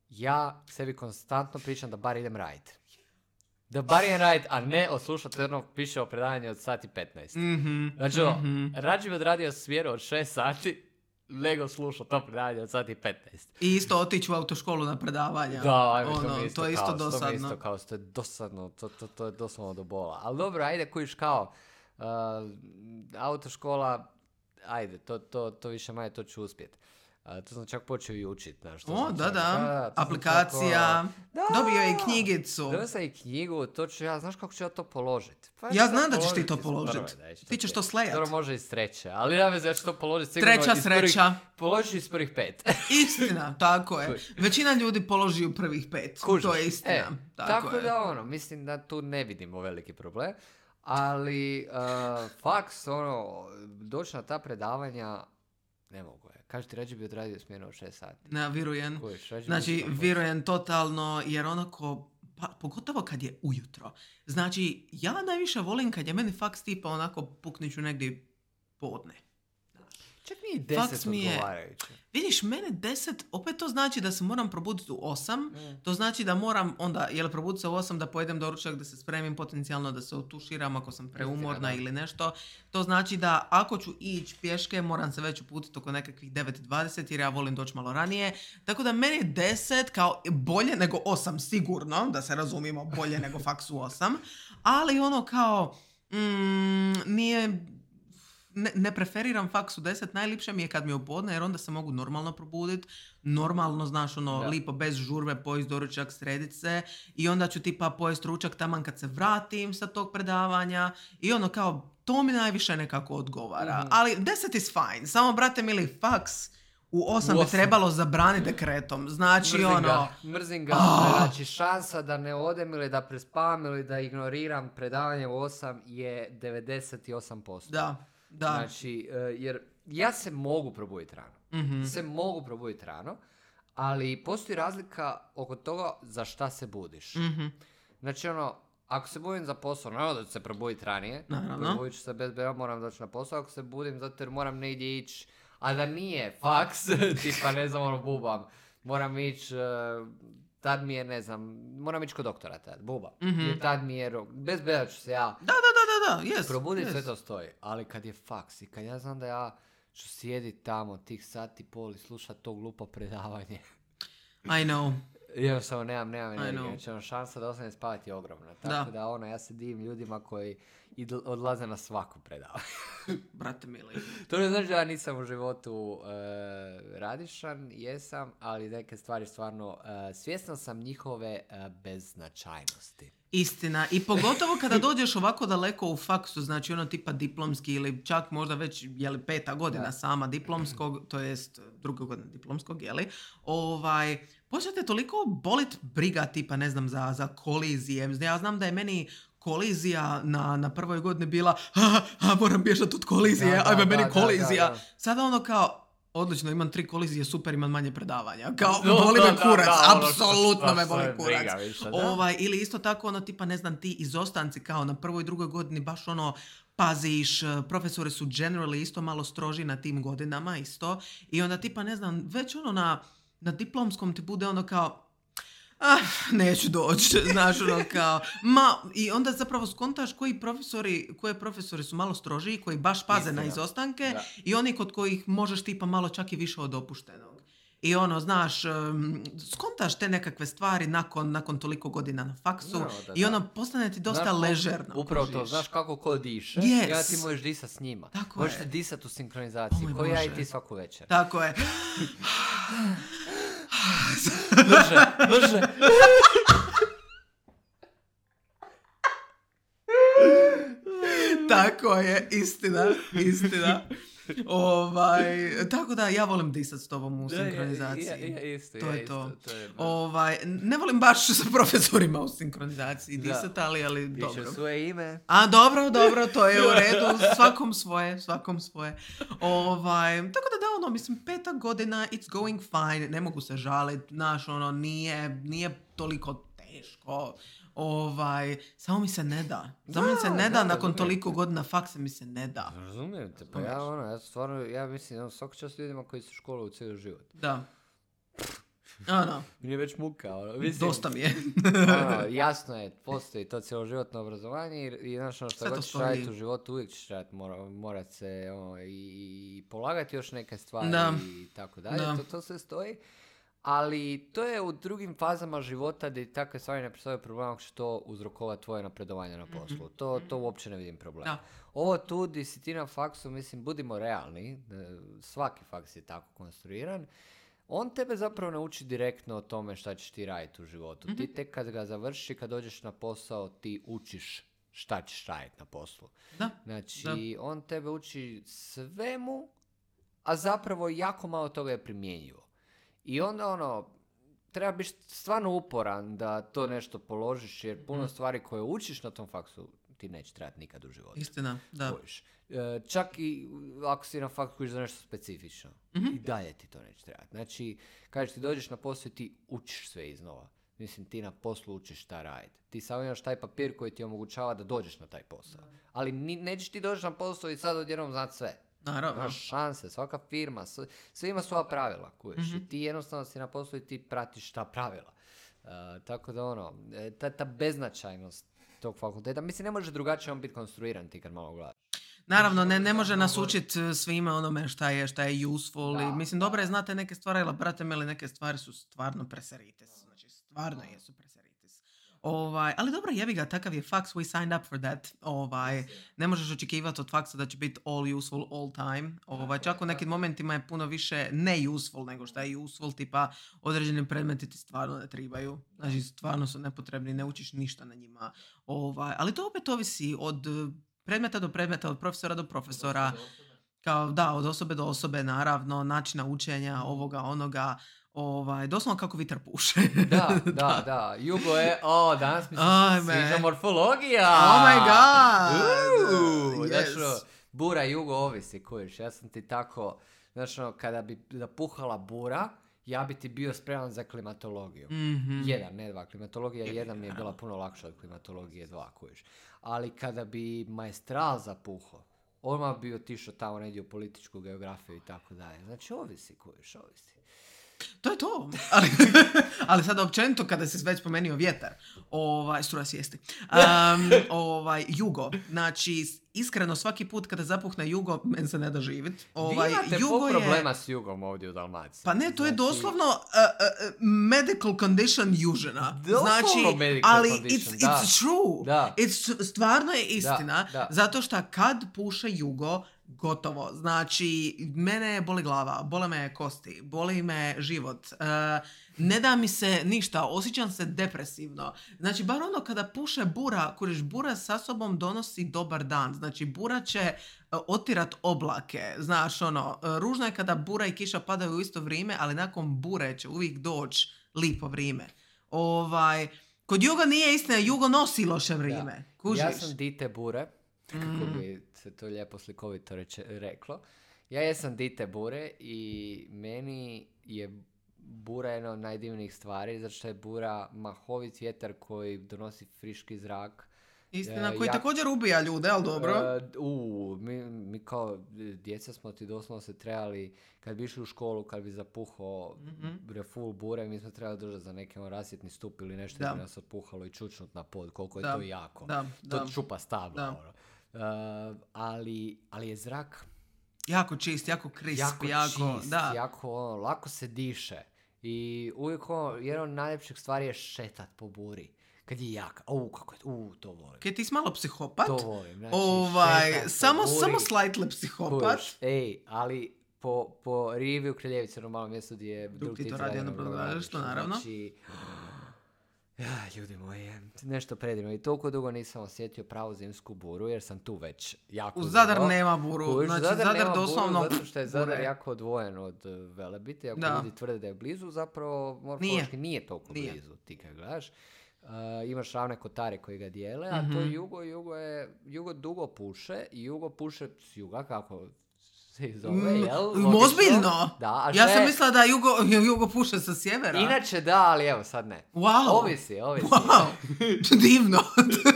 ja sebi konstantno pričam da bar idem raditi. Da bar idem raditi, a ne oslušati jedno piše o predavanje od sati petnaest. Mm-hmm. Znači, mm-hmm. rađe bi odradio smjeru od šest sati, nego slušao to predavanje od sati petnaest. I isto otići u autoškolu na predavanja. Da, ajme, ono, to mi isto, to je isto kaos, dosadno. To mi isto kaos, to je dosadno, to, to, to je doslovno do bola. Ali dobro, ajde, kojiš kao, uh, autoškola, ajde, to, to, to više manje, to ću uspjeti. Uh, to sam čak počeo i učiti. Znaš, o, da, čak, da, da, aplikacija, čak, dobio je i knjigicu. Dobio sam i knjigu, to ću ja, znaš kako ću ja to položiti? Pa ja znam da ćeš ti to položiti. Ti ćeš to slejati. Dobro, može iz treće, ali ja već ja ću to položiti. Treća sreća. Položi iz prvih pet. Istina, tako je. Većina ljudi položi u prvih pet. Kužiš. To je istina. E, tako tako je. Da ono, mislim da tu ne vidimo veliki problem. Ali, uh, faks, ono, doći na ta predavanja, ne mogu je. Kaži ti, rađe bi odradio smjenu od šest sati. Ne, virujem. Znači, virujem totalno, jer onako, pa, pogotovo kad je ujutro. Znači, ja najviše volim kad je meni faks tipa onako pukniću negdje podne. Čak nije Faks deset mi je- odgovarajuće. Vidiš, mene deset, opet to znači da se moram probuditi u osam, Mm. to znači da moram onda, jel probuditi se u osam da pojedem doručak, da se spremim potencijalno, da se otuširam ako sam preumorna Istina, da. ili nešto. To znači da ako ću ići pješke, moram se već uputiti oko nekakvih devet dvadeset jer ja volim doći malo ranije. Tako da meni je deset kao bolje nego osam sigurno, da se razumijemo, bolje nego faks u osam, ali ono kao mm, nije... Ne, ne preferiram faks u deset, najlipše mi je kad mi je u podne jer onda se mogu normalno probuditi, normalno, znaš, ono, Da. lipo, bez žurbe, pojest doručak, sredit se i onda ću tipa pojest ručak taman kad se vratim sa tog predavanja i ono kao, to mi najviše nekako odgovara. Mhm. Ali deset is fine, samo brate mili, faks u osam U bi osam. trebalo zabraniti dekretom, znači Mrzim ono... ga, mrzim ga. Ah. Znači, šansa da ne odem ili da prespavam ili da ignoriram predavanje u osam je devedeset osam posto. Da, da. Znači, e, jer ja se mogu probuditi rano. Mhm. Se mogu probuditi rano, ali postoji razlika oko toga za šta se budiš. Mhm. Znači, ono, ako se budim za posao, naravno da ću se probuditi ranije. Naravno. Probudit ću se bez bera, moram doći na posao. Ako se budim zato jer moram negdje ići, a da nije faks, tipa ne znam, ono, bubam. Moram ići, uh, tad mi je, ne znam, moram ići kod doktora tad, bubam. Mhm. Jer tad mi je rok, bez bera ću se ja Da, da, da, da, da, yes. probuditi, yes. sve to stoji. Ali kad je faks i kad ja znam da ja ću sjediti tamo tih sati i pol i slušati to glupo predavanje, I know. jednostavno nemam, nemam I energije. know. Znači, ono, šansa da ostanem spavati je ogromna. Tako Da. da, ono, ja se divim ljudima koji idl- odlaze na svaku predavanje. Brate mili. To ne znači da ja nisam u životu e, radišan, jesam, ali neke stvari stvarno, e, svjestan sam njihove e, beznačajnosti. Istina. I pogotovo kada dođeš ovako daleko u faksu, znači ono tipa diplomski ili čak možda već jeli, peta godina Da. sama diplomskog, to jest druga godina diplomskog, jeli, ovaj, počnete toliko bolit briga tipa, ne znam, za, za kolizije. Ja znam da je meni kolizija na, na prvoj godini bila a, a, moram bježati od kolizije, Da, da, ajme meni da, da, kolizija. da, da. Sada ono kao, odlično, imam tri kolizije, super, imam manje predavanja. Kao, No, boli da, me da, kurac, da, ono, apsolutno šta- me šta boli me kurac. briga više, da. Ovaj, ili isto tako, ono, tipa, ne znam, ti izostanci kao na prvoj i drugoj godini baš ono, paziš, eh, profesori su generally isto malo stroži na tim godinama isto i onda tipa, ne znam, već ono na, na diplomskom ti bude ono kao ah, neću doći, znaš, ono kao, ma, i onda zapravo skontaš koji profesori, koje profesori su malo strožiji, koji baš paze Istina. na izostanke Da. i oni kod kojih možeš tipa malo čak i više od dopuštenog. I ono, znaš, um, skontaš te nekakve stvari nakon, nakon toliko godina na faksu Naravno da i da. ono, postane ti dosta Znaš, ležerno. Upravo to, kužiš. znaš kako ko diše, Yes. i onda ti možeš disat s njima. Tako Možete je. disat u sinkronizaciji, O moj ko ja i Bože. ti svaku večer. Tako je. Brže, brže. Tako je, istina, istina. Ovaj, tako da ja volim disat s tobom u sinkronizaciji. Ja, ja, ja, isto, to ja, je isto, to. to je baš. Ovaj, ne volim baš sa profesorima u sinkronizaciji Da. disat, ali, ali Piše dobro. svoje ime. A dobro, dobro, to je u redu, svakom svoje, svakom svoje. Ovaj, tako da da, ono, mislim, peta godina, it's going fine, ne mogu se žaliti, znaš, ono, nije, nije toliko teško. Ovaj, samo mi se ne da. Samo mi se Da, ne da, da, nakon razumijem toliko te. godina faksa mi se ne da. Razumijem te, pa ja ono, ja stvarno, ja mislim, ono, svaka čast ljudima koji su školu u cijeli život. Da. Ono, Meni je već muka, ono, mislim. dosta mi je. ono, jasno je, postoji to cjeloživotno obrazovanje i, i znaš ono što Sve to god ćeš stoji. raditi u životu, uvijek ćeš raditi, mora, morat se ono, i, i polagati još neke stvari Da. i tako dalje, Da. to, to sve stoji. Ali to je u drugim fazama života gdje takve stvari ne predstavljaju problem ako će to uzrokovati tvoje napredovanje na poslu. To, to uopće ne vidim problema. Da. Ovo tu di si ti na faksu, mislim, budimo realni, e, svaki faks je tako konstruiran, on tebe zapravo ne uči direktno o tome šta ćeš ti raditi u životu. Ti tek kad ga završi, kad dođeš na posao, ti učiš šta ćeš raditi na poslu. Da. Znači, on tebe uči svemu, a zapravo jako malo toga je primjenjivo. I onda ono, treba biti stvarno uporan da to nešto položiš, jer puno stvari koje učiš na tom faksu ti neće trebati nikad u životu. Istina, da. Kužiš. E, čak i ako si na faksu kužiš za nešto specifično, i dalje ti to neće trebati. Znači, kažeš ti dođeš na posao i ti učiš sve iznova. Mislim, ti na poslu učiš šta raditi. Ti samo imaš taj papir koji ti omogućava da dođeš na taj posao. Ali ni, nećeš ti doći na posao i sad odjednom znati sve. Naravno. Imaš šanse, svaka firma, sve, sve ima svoja pravila, kuješ. Mhm. I ti jednostavno si na poslu i ti pratiš ta pravila. Uh, tako da ono, e, ta, ta beznačajnost tog fakulteta, mislim ne može drugačije on biti konstruiran ti kad malo gledaš. Naravno, ne, ne može nas učiti svime onome šta je, šta je useful. Da, I, mislim, da. dobro je znate neke stvari, ali brate mili, neke stvari su stvarno preseritis. Znači, stvarno jesu preseritis. Ovaj, ali dobro, jebi ga, takav je faks, we signed up for that. Ovaj, ne možeš očekivati od faksa da će biti all useful all time. Ovaj, čak u nekim momentima je puno više ne useful nego šta je useful, tipa određeni predmeti ti stvarno ne tribaju. Znači, stvarno su nepotrebni, ne učiš ništa na njima. Ovaj, ali to opet ovisi od predmeta do predmeta, od profesora do profesora. Kao, da, od osobe do osobe, naravno, načina učenja, ovoga, onoga. Ovaj, doslovno kako vitar puše. Da, da, da. Jugo je, o, danas mi se Ajme. sviđa morfologija. Oh my god! Uuu, Yes. Znaš, ono, bura jugo ovisi, kojiš. Ja sam ti tako, znaš, ono, kada bi zapuhala bura, ja bi ti bio spreman za klimatologiju. Mhm. Jedan, ne dva. Klimatologija jedan mi je bila puno lakša od klimatologije dva, kojiš. Ali kada bi maestral zapuhao, odmah bi otišao tamo negdje u političku geografiju i tako dalje. Znači, ovisi, kojiš, ovisi. To je to. Ali, ali sad općenito kada se već spomenuo vjetar, ovaj, struja sjesti. Um, ovaj, jugo. Znači, iskreno svaki put kada zapuhne jugo, men se ne da živit. Ovaj, Vi imate jugo pol je... problema s jugom ovdje u Dalmaciji. Pa ne, to je Znači, doslovno uh, uh, medical condition južina. Doslovno Znači, medical ali condition, it's, da. it's true. Da. It's, stvarno je istina. Da, da. Zato što kad puše jugo, gotovo. Znači, mene boli glava, bole me kosti, boli me život. Uh, ne da mi se ništa, osjećam se depresivno. Znači, bar ono kada puše bura, kuriš, bura sa sobom donosi dobar dan. Znači, bura će uh, otirat oblake. Znaš, ono, uh, ružno je kada bura i kiša padaju u isto vrijeme, ali nakon bure će uvijek doći lipo vrijeme. Ovaj, kod jugo nije istina, jugo nosi loše vrijeme. Kužiš? Ja sam dite bure, kako bi se to lijepo slikovito reče, reklo. Ja jesam dite bure i meni je bura jedna od najdivnijih stvari, zato što je bura mahovit vjetar koji donosi friški zrak. Istina, E, koji ja- također ubija ljude, ali dobro. E, u, mi, mi kao djeca smo ti doslovno se trebali, kad bi išli u školu, kad bi zapuhao mm-hmm. full bure, mi smo trebali držati za neki on rasvjetni stup ili nešto Da. da bi nas otpuhalo i čučnut na pod, koliko je Da, to jako. da, To da. čupa stabla. Da. Ono. E, ali, ali je zrak Jako čist, jako crisp, jako, jako, čist, da. jako ono, lako se diše. I uvijek ono, jedna od najljepših stvari je šetat po buri. Kad je jak, u, kako je, u, to volim. Kaj ti si malo psihopat? To volim. Znači, ovaj, šetat po samo, buri. samo slightly psihopat. Kuš, ej, ali po, po rivi u Kraljevici, ono malo mjesto gdje je Drug Tito Tito radi ono brodogradilište, naravno. Znači, ja, ljudi moji, nešto predivno. I toliko dugo nisam osjetio pravu zimsku buru, jer sam tu već jako U Zadar dugo. nema buru. Kuš, Znači, Zadar, Zadar nema doslovno buru, zato što je Zadar bure. jako odvojen od uh, Velebita. Ako Da. ljudi tvrde da je blizu, zapravo morfološki nije, nije toliko Nije. blizu, ti kad gledaš. Uh, imaš ravne kotare koji ga dijele, a to je jugo, jugo je, jugo dugo puše i jugo puše s juga, kako se zove, Mm, jel? Logično. ozbiljno? Da, a Ja šta sam je- mislila da jugo, jugo puše sa sjevera. Inače da, ali evo sad ne. Wow. Ovisi, ovisi. Wow, divno.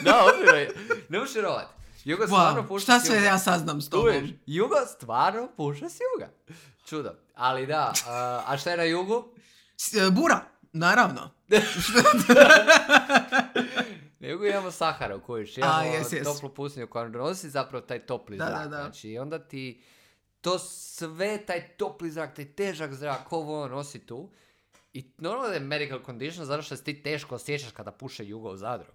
Da, ozbiljno je. Ne možeš vjerovati. Jugo stvarno Wow, puše šta s sve juga. ja saznam s Čuješ? tobom? Jugo stvarno puše s juga. Čudo. Ali da, a, a šta je na jugu? S- e, Bura, naravno. Na jugu imamo Saharu, kojiš. Imamo A, jes, jes. toplu pustinju koja donosi zapravo taj topli Da, zrak. da, da. Znači, i onda ti to sve, taj topli zrak, taj težak zrak, ovo ono nosi tu. I normalno da je medical condition, zato što se ti teško osjećaš kada puše jugo u Zadru.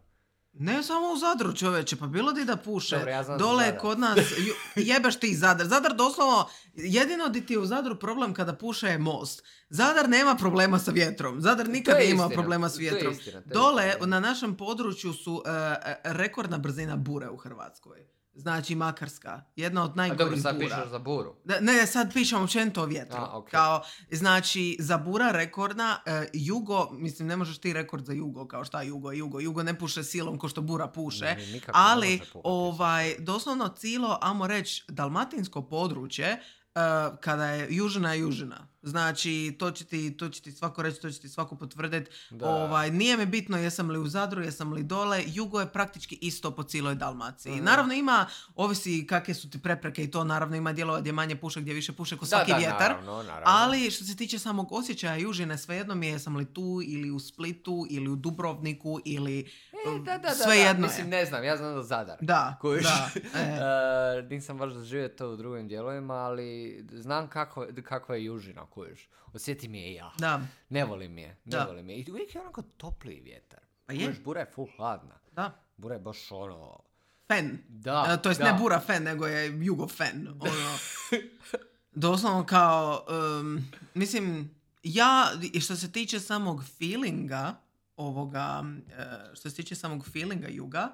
Ne samo u Zadru, čoveče, pa bilo di da puše. Dobro, ja znam za Dole je Zadar. kod nas, ju- jebeš ti Zadar. Zadar doslovno, jedino di ti je u Zadru problem kada puše je most. Zadar nema problema sa vjetrom. Zadar nikad To je nije imao istina, problema s to je vjetrom. istina, to je Dole, istina. na našem području su e, e, rekordna brzina bure u Hrvatskoj. Znači Makarska, jedna od A dobro, najgorih sad bura. pišeš za buru. Da, ne, sad pišem općenito o vjetru. A, ok. Kao, znači, za bura rekordna, e, jugo, mislim, ne možeš ti rekord za jugo, kao šta jugo, jugo, jugo ne puše silom ko što bura puše, Ne, nikako ne ali, može puhati ovaj, doslovno cijelo, amo reći, dalmatinsko područje, e, kada je južina je južina. Znači, to će ti, to će ti svako reći, to će ti svako potvrditi. Da. Ovaj, nije mi bitno jesam li u Zadru, jesam li dole. Jugo je praktički isto po cijeloj Dalmaciji. Mhm. Naravno ima, ovisi kakve su ti prepreke i to, naravno ima dijelova gdje manje puše, gdje više puše ko svaki da, da, vjetar. naravno, naravno. Ali što se tiče samog osjećaja južine, svejedno mi je jesam li tu ili u Splitu ili u Dubrovniku ili E, da, da, da, svejedno da. Mislim, je. ne znam, ja znam da Zadar. Da, Kojiš? da. E. Uh, nisam baš doživio to u drugim dijelovima, ali znam kako, kakva je južina, kojiš. Osjetim je i ja. Da. Ne volim je, ne Da. volim je. I uvijek je onako topliji vjetar. Pa je. Kojiš, bura je full hladna. Da. Bura je baš ono... Fen. Da, E, to jest da. ne bura fen, nego je jugo fen. Ono, doslovno kao, um, mislim, ja, i što se tiče samog feelinga ovoga, uh, što se tiče samog feelinga juga,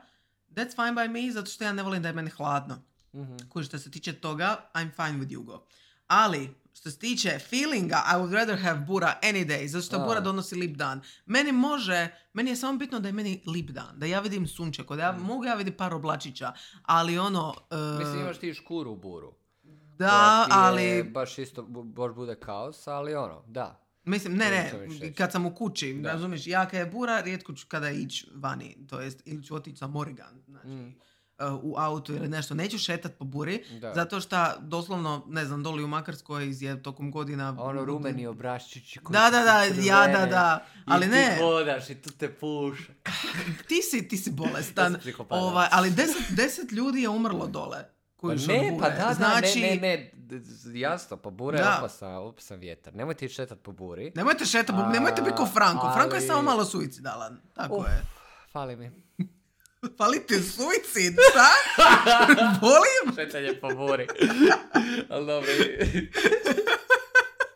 that's fine by me, zato što ja ne volim da je meni hladno. Mhm. Koji što se tiče toga, I'm fine with jugo. Ali, što se tiče feelinga, I would rather have bura any day, zato što A. bura donosi lip dan. Meni može, meni je samo bitno da je meni lip dan, da ja vidim sunčeko, da ja Mm. mogu ja vidjeti par oblačića, ali ono... uh, Mislim, imaš ti škuru u buru. da, koja ti je ali... baš isto, bu- baš bude kaos, ali ono, da. Mislim, ne, To ne, ću već reći. kad sam u kući, Da. razumiješ, ja kad je bura, rijetko ću kada ići vani, to jest, ili ću otići za Morrigan, znači, Mm. uh, u autu ili nešto, neću šetat po buri, Da. zato što, doslovno, ne znam, doli u Makarskoj je tokom godina... A ono rumeni obraščići koji Da, su da, da, crvene ja, da, da, ali i ne, ti hodaš i tu te puša. ti si, ti si bolestan, Ja sam psihopat. ovaj, ali deset, deset ljudi je umrlo dole. Pa Koji su ne, od pa bure. da, da, znači, ne, ne, ne, d- d- jasno, pa bura je Da. opasan, opasan vjetar. Nemojte ići šetat po buri. Nemojte šetat, A, nemojte biti ko Franko. Franko je ali- samo malo suicidalan. Tako Uf, je. fali mi. Fali ti suicid, šta? Volim? Šetanje po buri. Ali dobro.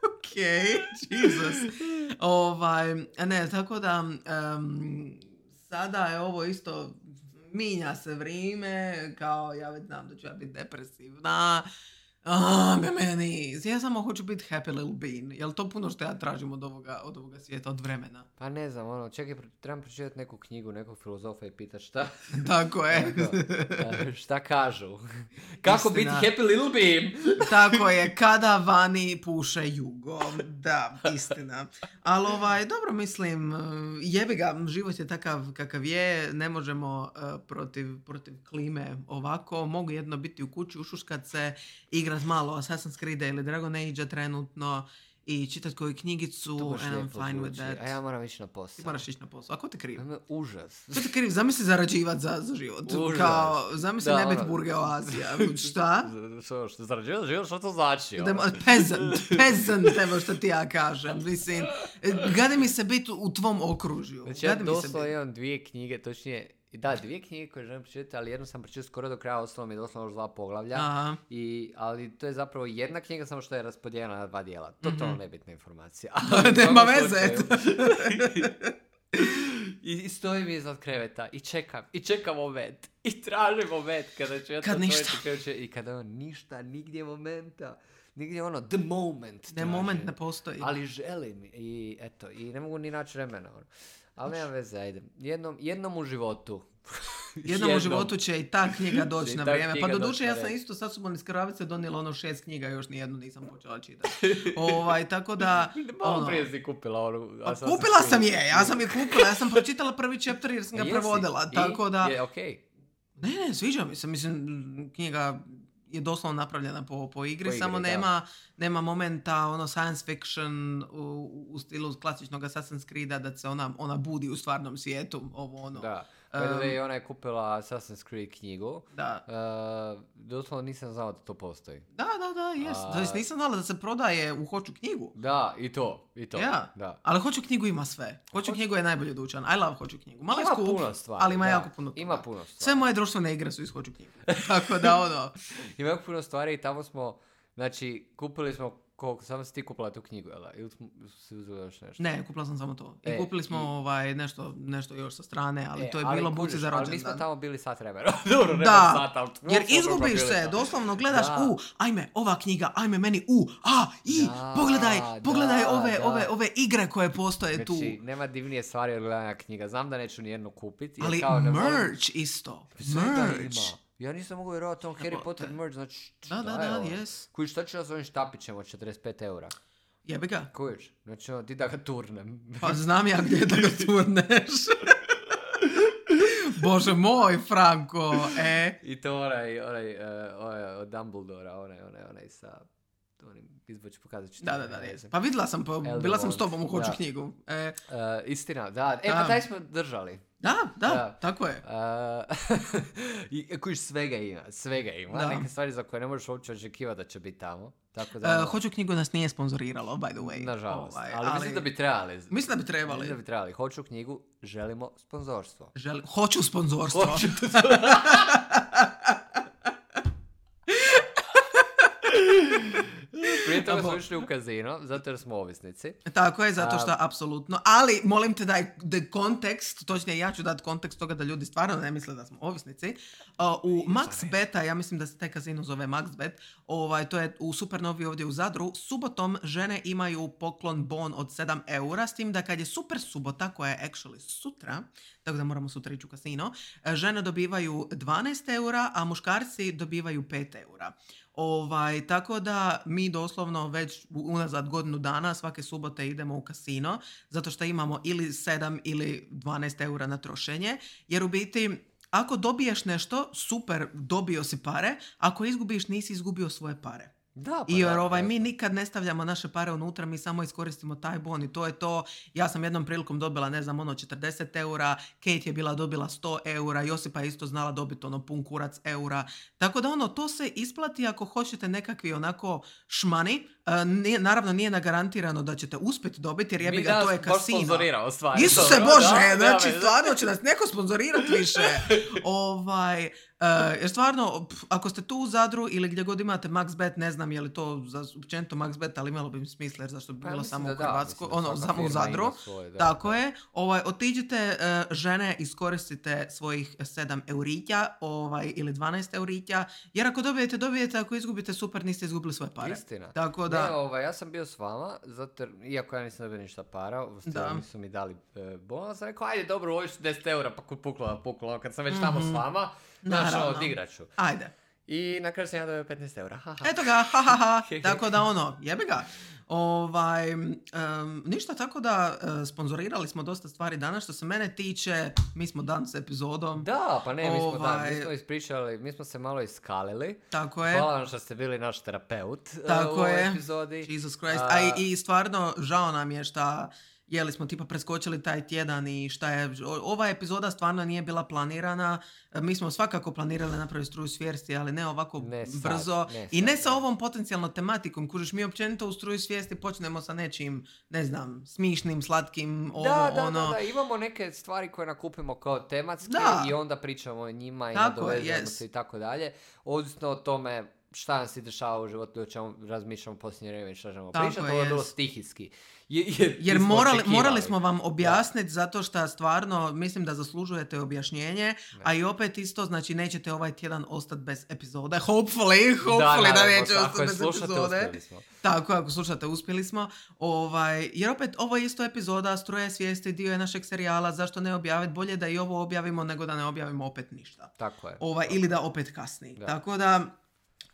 Okej, Jesus. Ovaj, ne, tako da, em, sada je ovo isto, minja se vrijeme, kao ja već znam da ću ja biti depresivna. A, me meni, ja samo hoću biti happy little bean. Jel to puno što ja tražim od ovoga, od ovoga svijeta, od vremena? Pa ne znam, ono, čekaj, pro- trebam pročitati neku knjigu, nekog filozofa i pitat šta, Tako je. a, šta kažu. Kako biti Istina. happy little beam? Tako je, kada vani puše jugo. Da, istina. Ali ovaj, dobro mislim, jebi ga, život je takav kakav je, ne možemo uh, protiv, protiv klime ovako, mogu jedno biti u kući, ušuškat se, igrat malo Assassin's Creed ili Dragon Age trenutno i čitat koju knjigicu, To baš and I'm lijepo fine with zvuči. that. A ja moram ići na Ti posao. moraš ići na posao. A ko te kriv? To je užas. Ko te kriv? Zamisli zarađivat za, za život. Užas. Kao, zamisli Da, ne biti ono- burge oazija. Šta? Što, što zarađuješ život, što to znači? ono? Da, peasant, peasant, evo što ti ja kažem. Mislim, gadi mi se biti u tvom okružju. Znači ja Gadi mi se doslovno biti. imam dvije knjige, točnije, da, dvije knjige koje želim pročitati, ali jednu sam pročitao skoro do kraja, ostalo mi je doslovno još dva poglavlja. Aha. I, ali to je zapravo jedna knjiga, samo što je raspodijeljena na dva dijela. Totalno nebitna informacija. Nema U svakom veze. slučaju. I, I stojim iznad kreveta i čekam, i čekam moment. I tražim moment kada ću ja Kad to ništa. otvoriti kreće, i kada on ništa, nigdje momenta. Nigdje ono, the moment. Ne, tražim. moment ne postoji. Ali želim i eto, i ne mogu ni naći vremena. Ono. Ali nema veze, ajde. Jednom, jednom u životu. Jednom u životu će i ta knjiga doći Će na ta vrijeme. Pa knjiga do duše doći na ja sam red. isto sa sobom iz kravice donijela ono šest knjiga, još nijednu nisam počela čitati. Ovaj, tako da... Malo ono, prije si kupila onu... pa Assassin's kupila Creed. sam je, ja sam je kupila, ja sam pročitala prvi chapter jer sam ga Jesi? prevodila, I? tako da... Je, okej. Ne, ne, sviđa mi se, mislim, knjiga je doslovno napravljena po, po igri, Po igri, samo da. nema, nema momenta ono science fiction u, u stilu klasičnog Assassin's Creeda da se ona, ona budi u stvarnom svijetu, ovo ono. Da. By the way, ona je kupila Assassin's Creed knjigu. Da, Uh, doslovno nisam znao da to postoji. da, da, da, jes. A- To jest nisam znala da se prodaje u Hoću knjigu. Da, i to, i to. Ja. Da. Ali Hoću knjigu ima sve. Hoću knjigu je najbolji dućan. I love Hoću knjigu. Malo je Ima skup, puno stvari, ali ima da. jako puno Ima toga. puno stvari. Sve moje društvene igre su iz Hoću knjigu. Tako da ono... Ima jako puno stvari i tamo smo, znači, kupili smo, koliko, samo si ti kupila tu knjigu, jel da? Ili smo si uzeli još nešto? Ne, kupila sam samo to. I E, kupili smo i- ovaj, nešto, nešto još sa strane, ali E, to je ali bilo buci kužiš, za Ali mi smo rođendan. tamo bili sat vremena. Dobro, nema Da, sat, ali jer doslovno smo izgubiš bili se, tamo. doslovno gledaš, Da. u, ajme, ova knjiga, ajme meni, u, a, i, Da, pogledaj, pogledaj da, ove, da. ove, ove igre koje postoje tu. Znači, nema divnije stvari od gledanja knjiga. Znam da neću nijednu kupiti. jer Ali kao ne volim- merch isto, Sve da merch. ima. Ja nisam mogu vjerovati on Harry Evo, Potter da. merch, znači Da, šta da, je da, ovo? jes. Koji šta će s ovim štapićem od četrdeset pet eura? Jebi ga. Kujiš, znači ono, ti da ga turnem. Pa znam ja gdje da ga turneš. Bože moj, Franko, e. I to onaj, onaj, uh, onaj od Dumbledora, onaj, onaj, onaj sa... onim izboći pokazat ću. Da, da, da. Pa vidjela sam, pa, bila sam s tobom u Hoću da. knjigu. E. Uh, istina, da. E, da. pa taj smo držali. Da, da, da, tako je. Uh, I kojiš svega ima, svega ima. Da. Neke stvari za koje ne možeš uopće očekivati da će biti tamo. Tako da, uh, Hoću knjigu nas nije sponzoriralo, by the way. Nažalost, ovaj, ali, ali mislim da bi trebali. Mislim da bi trebali. Mislim da bi trebali. Hoću knjigu, želimo sponzorstvo. Želi, hoću sponzorstvo. Hoću Prije toga smo išli u kazino, zato jer smo ovisnici. Tako je, zato što, A... apsolutno. Ali, molim te daj de kontekst, točnije ja ću dati kontekst toga da ljudi stvarno ne misle da smo ovisnici. Uh, u MaxBeta, ja mislim da se taj kazino zove MaxBet, ovaj, to je u Supernovi ovdje u Zadru, subotom žene imaju poklon bon od sedam eura, s tim da kad je super subota, koja je actually sutra, tako da moramo sutra ići u kasino, žene dobivaju dvanaest eura, a muškarci dobivaju pet eura. Ovaj, tako da mi doslovno već unazad godinu dana svake subote idemo u kasino, zato što imamo ili sedam ili dvanaest eura na trošenje, jer u biti ako dobiješ nešto, super, dobio si pare, ako izgubiš, nisi izgubio svoje pare. Da, pa I jer da, ovaj, da. mi nikad ne stavljamo naše pare unutra, mi samo iskoristimo taj bon i to je to. Ja sam jednom prilikom dobila, ne znam, ono četrdeset eura, Kate je bila dobila sto eura, Josipa je isto znala dobiti ono pun kurac eura. Tako da ono, to se isplati ako hoćete nekakvi onako šmani. Uh, nije, naravno nije nagarantirano da ćete uspjeti dobiti, jer jebi ga, to je kasino. Mi nas sponzorirao stvari. Isuse dobro, Bože, da, znači da, stvarno će nas neko sponzorirati više. ovaj, uh, jer stvarno, p- ako ste tu u Zadru ili gdje god imate MaxBet, ne znam je li to za općenito MaxBet, ali imalo bi mi smisla, jer zašto bi Pa, bilo mislim samo da u da, Hrvatskoj, mislim da ono, svaka samo u firma Zadru. ima svoje, da. Tako je. Ovaj, otiđite, uh, žene, iskoristite svojih sedam eurića ovaj, ili dvanaest eurića, jer ako dobijete, dobijete, ako izgubite, super, niste izgubili svoje pare. Istina. Tako da... Ne, ovaj, ja sam bio s vama, zato, jer, iako ja nisam dobio ništa para, Da. nisu mi dali e, bonus, sam rekao, ajde, dobro, ovo su deset eura, pa puklo, puklo, kad sam već tamo Mhm. s vama, znaš, Naravno. odigrat ću. Ajde. I na kraju sam ja dobio petnaest eura. Ha, ha. Eto ga, ha, ha, ha. Tako da ono, jebi ga. Ovaj, um, ništa, tako da uh, sponzorirali smo dosta stvari danas. Što se mene tiče, mi smo dan s epizodom. Da, pa ne, mi smo, da, Ovaj- mi smo ispričali, mi smo se malo iskalili. Tako je. Hvala vam što ste bili naš terapeut e, Tako u ovoj je. epizodi. Jesus Christ. A- A, i, i stvarno, žao nam je šta jeli smo tipa preskočili taj tjedan i šta je, o- ova epizoda stvarno nije bila planirana. E, Mi smo svakako planirali napraviti struju svijesti, ali ne ovako Ne sad, brzo. ne I ne sad, sa ne. ovom potencijalno tematikom. Kužiš, mi općenito u struju svijesti počnemo sa nečim, ne znam, smišnim, slatkim, ovo, Da, da, ono. da, da, imamo neke stvari koje nakupimo kao tematske Da. i onda pričamo o njima i Tako, nadovezujemo yes. se i tako dalje. Ovisno o tome šta nam se dešava u životu, o čemu razmišljamo posljednje vrijeme i šta ćemo Tako pričati, je, ovo je bilo yes. stihijski. Je- Jer, Jer nismo morali, očekivali. morali smo vam objasniti zato što stvarno mislim da zaslužujete objašnjenje, a i opet isto, znači nećete ovaj tjedan ostati bez epizode. Hopefully, hopefully da, naravno, neće ako ostati je bez slušate, epizode. uspjeli smo. Tako, ako slušate, uspjeli smo. Ovaj, jer opet, ovo je isto epizoda Struje svijesti, dio je našeg serijala, zašto ne objaviti? Bolje da i ovo objavimo nego da ne objavimo opet ništa. Tako je. Ovaj, ili da opet kasni. Da. Tako da,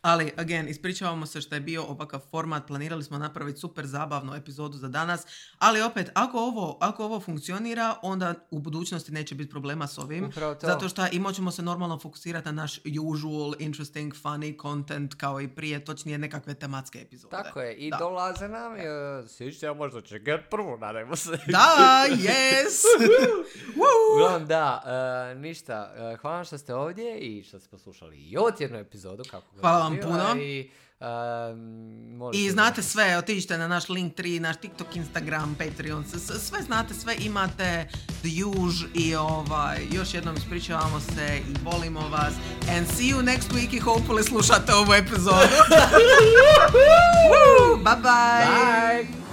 ali, again, ispričavamo se što je bio ovakav format, planirali smo napraviti super zabavnu epizodu za danas, ali opet, ako ovo, ako ovo funkcionira, onda u budućnosti neće biti problema s ovim, Upravo to. zato što i moćemo se normalno fokusirati na naš usual, interesting, funny content, kao i prije, točnije nekakve tematske epizode. Tako je, i Da. dolaze nam, uh, sviđa možda će get prvo, nadajmo se. Da, yes! Woo! Uglavnom, da, uh, ništa, uh, hvala vam što ste ovdje i što ste poslušali i ovu tjednu epizodu. Kako god Hvala vam bila puno. I, uh, možete I znate da- sve, otiđite na naš Linktree, naš TikTok, Instagram, Patreon, s- s- sve znate, sve imate, the usual i ovaj, još jednom ispričavamo se i volimo vas. And see you next week i hopefully slušate ovu epizodu. Woo! Bye bye! Bye!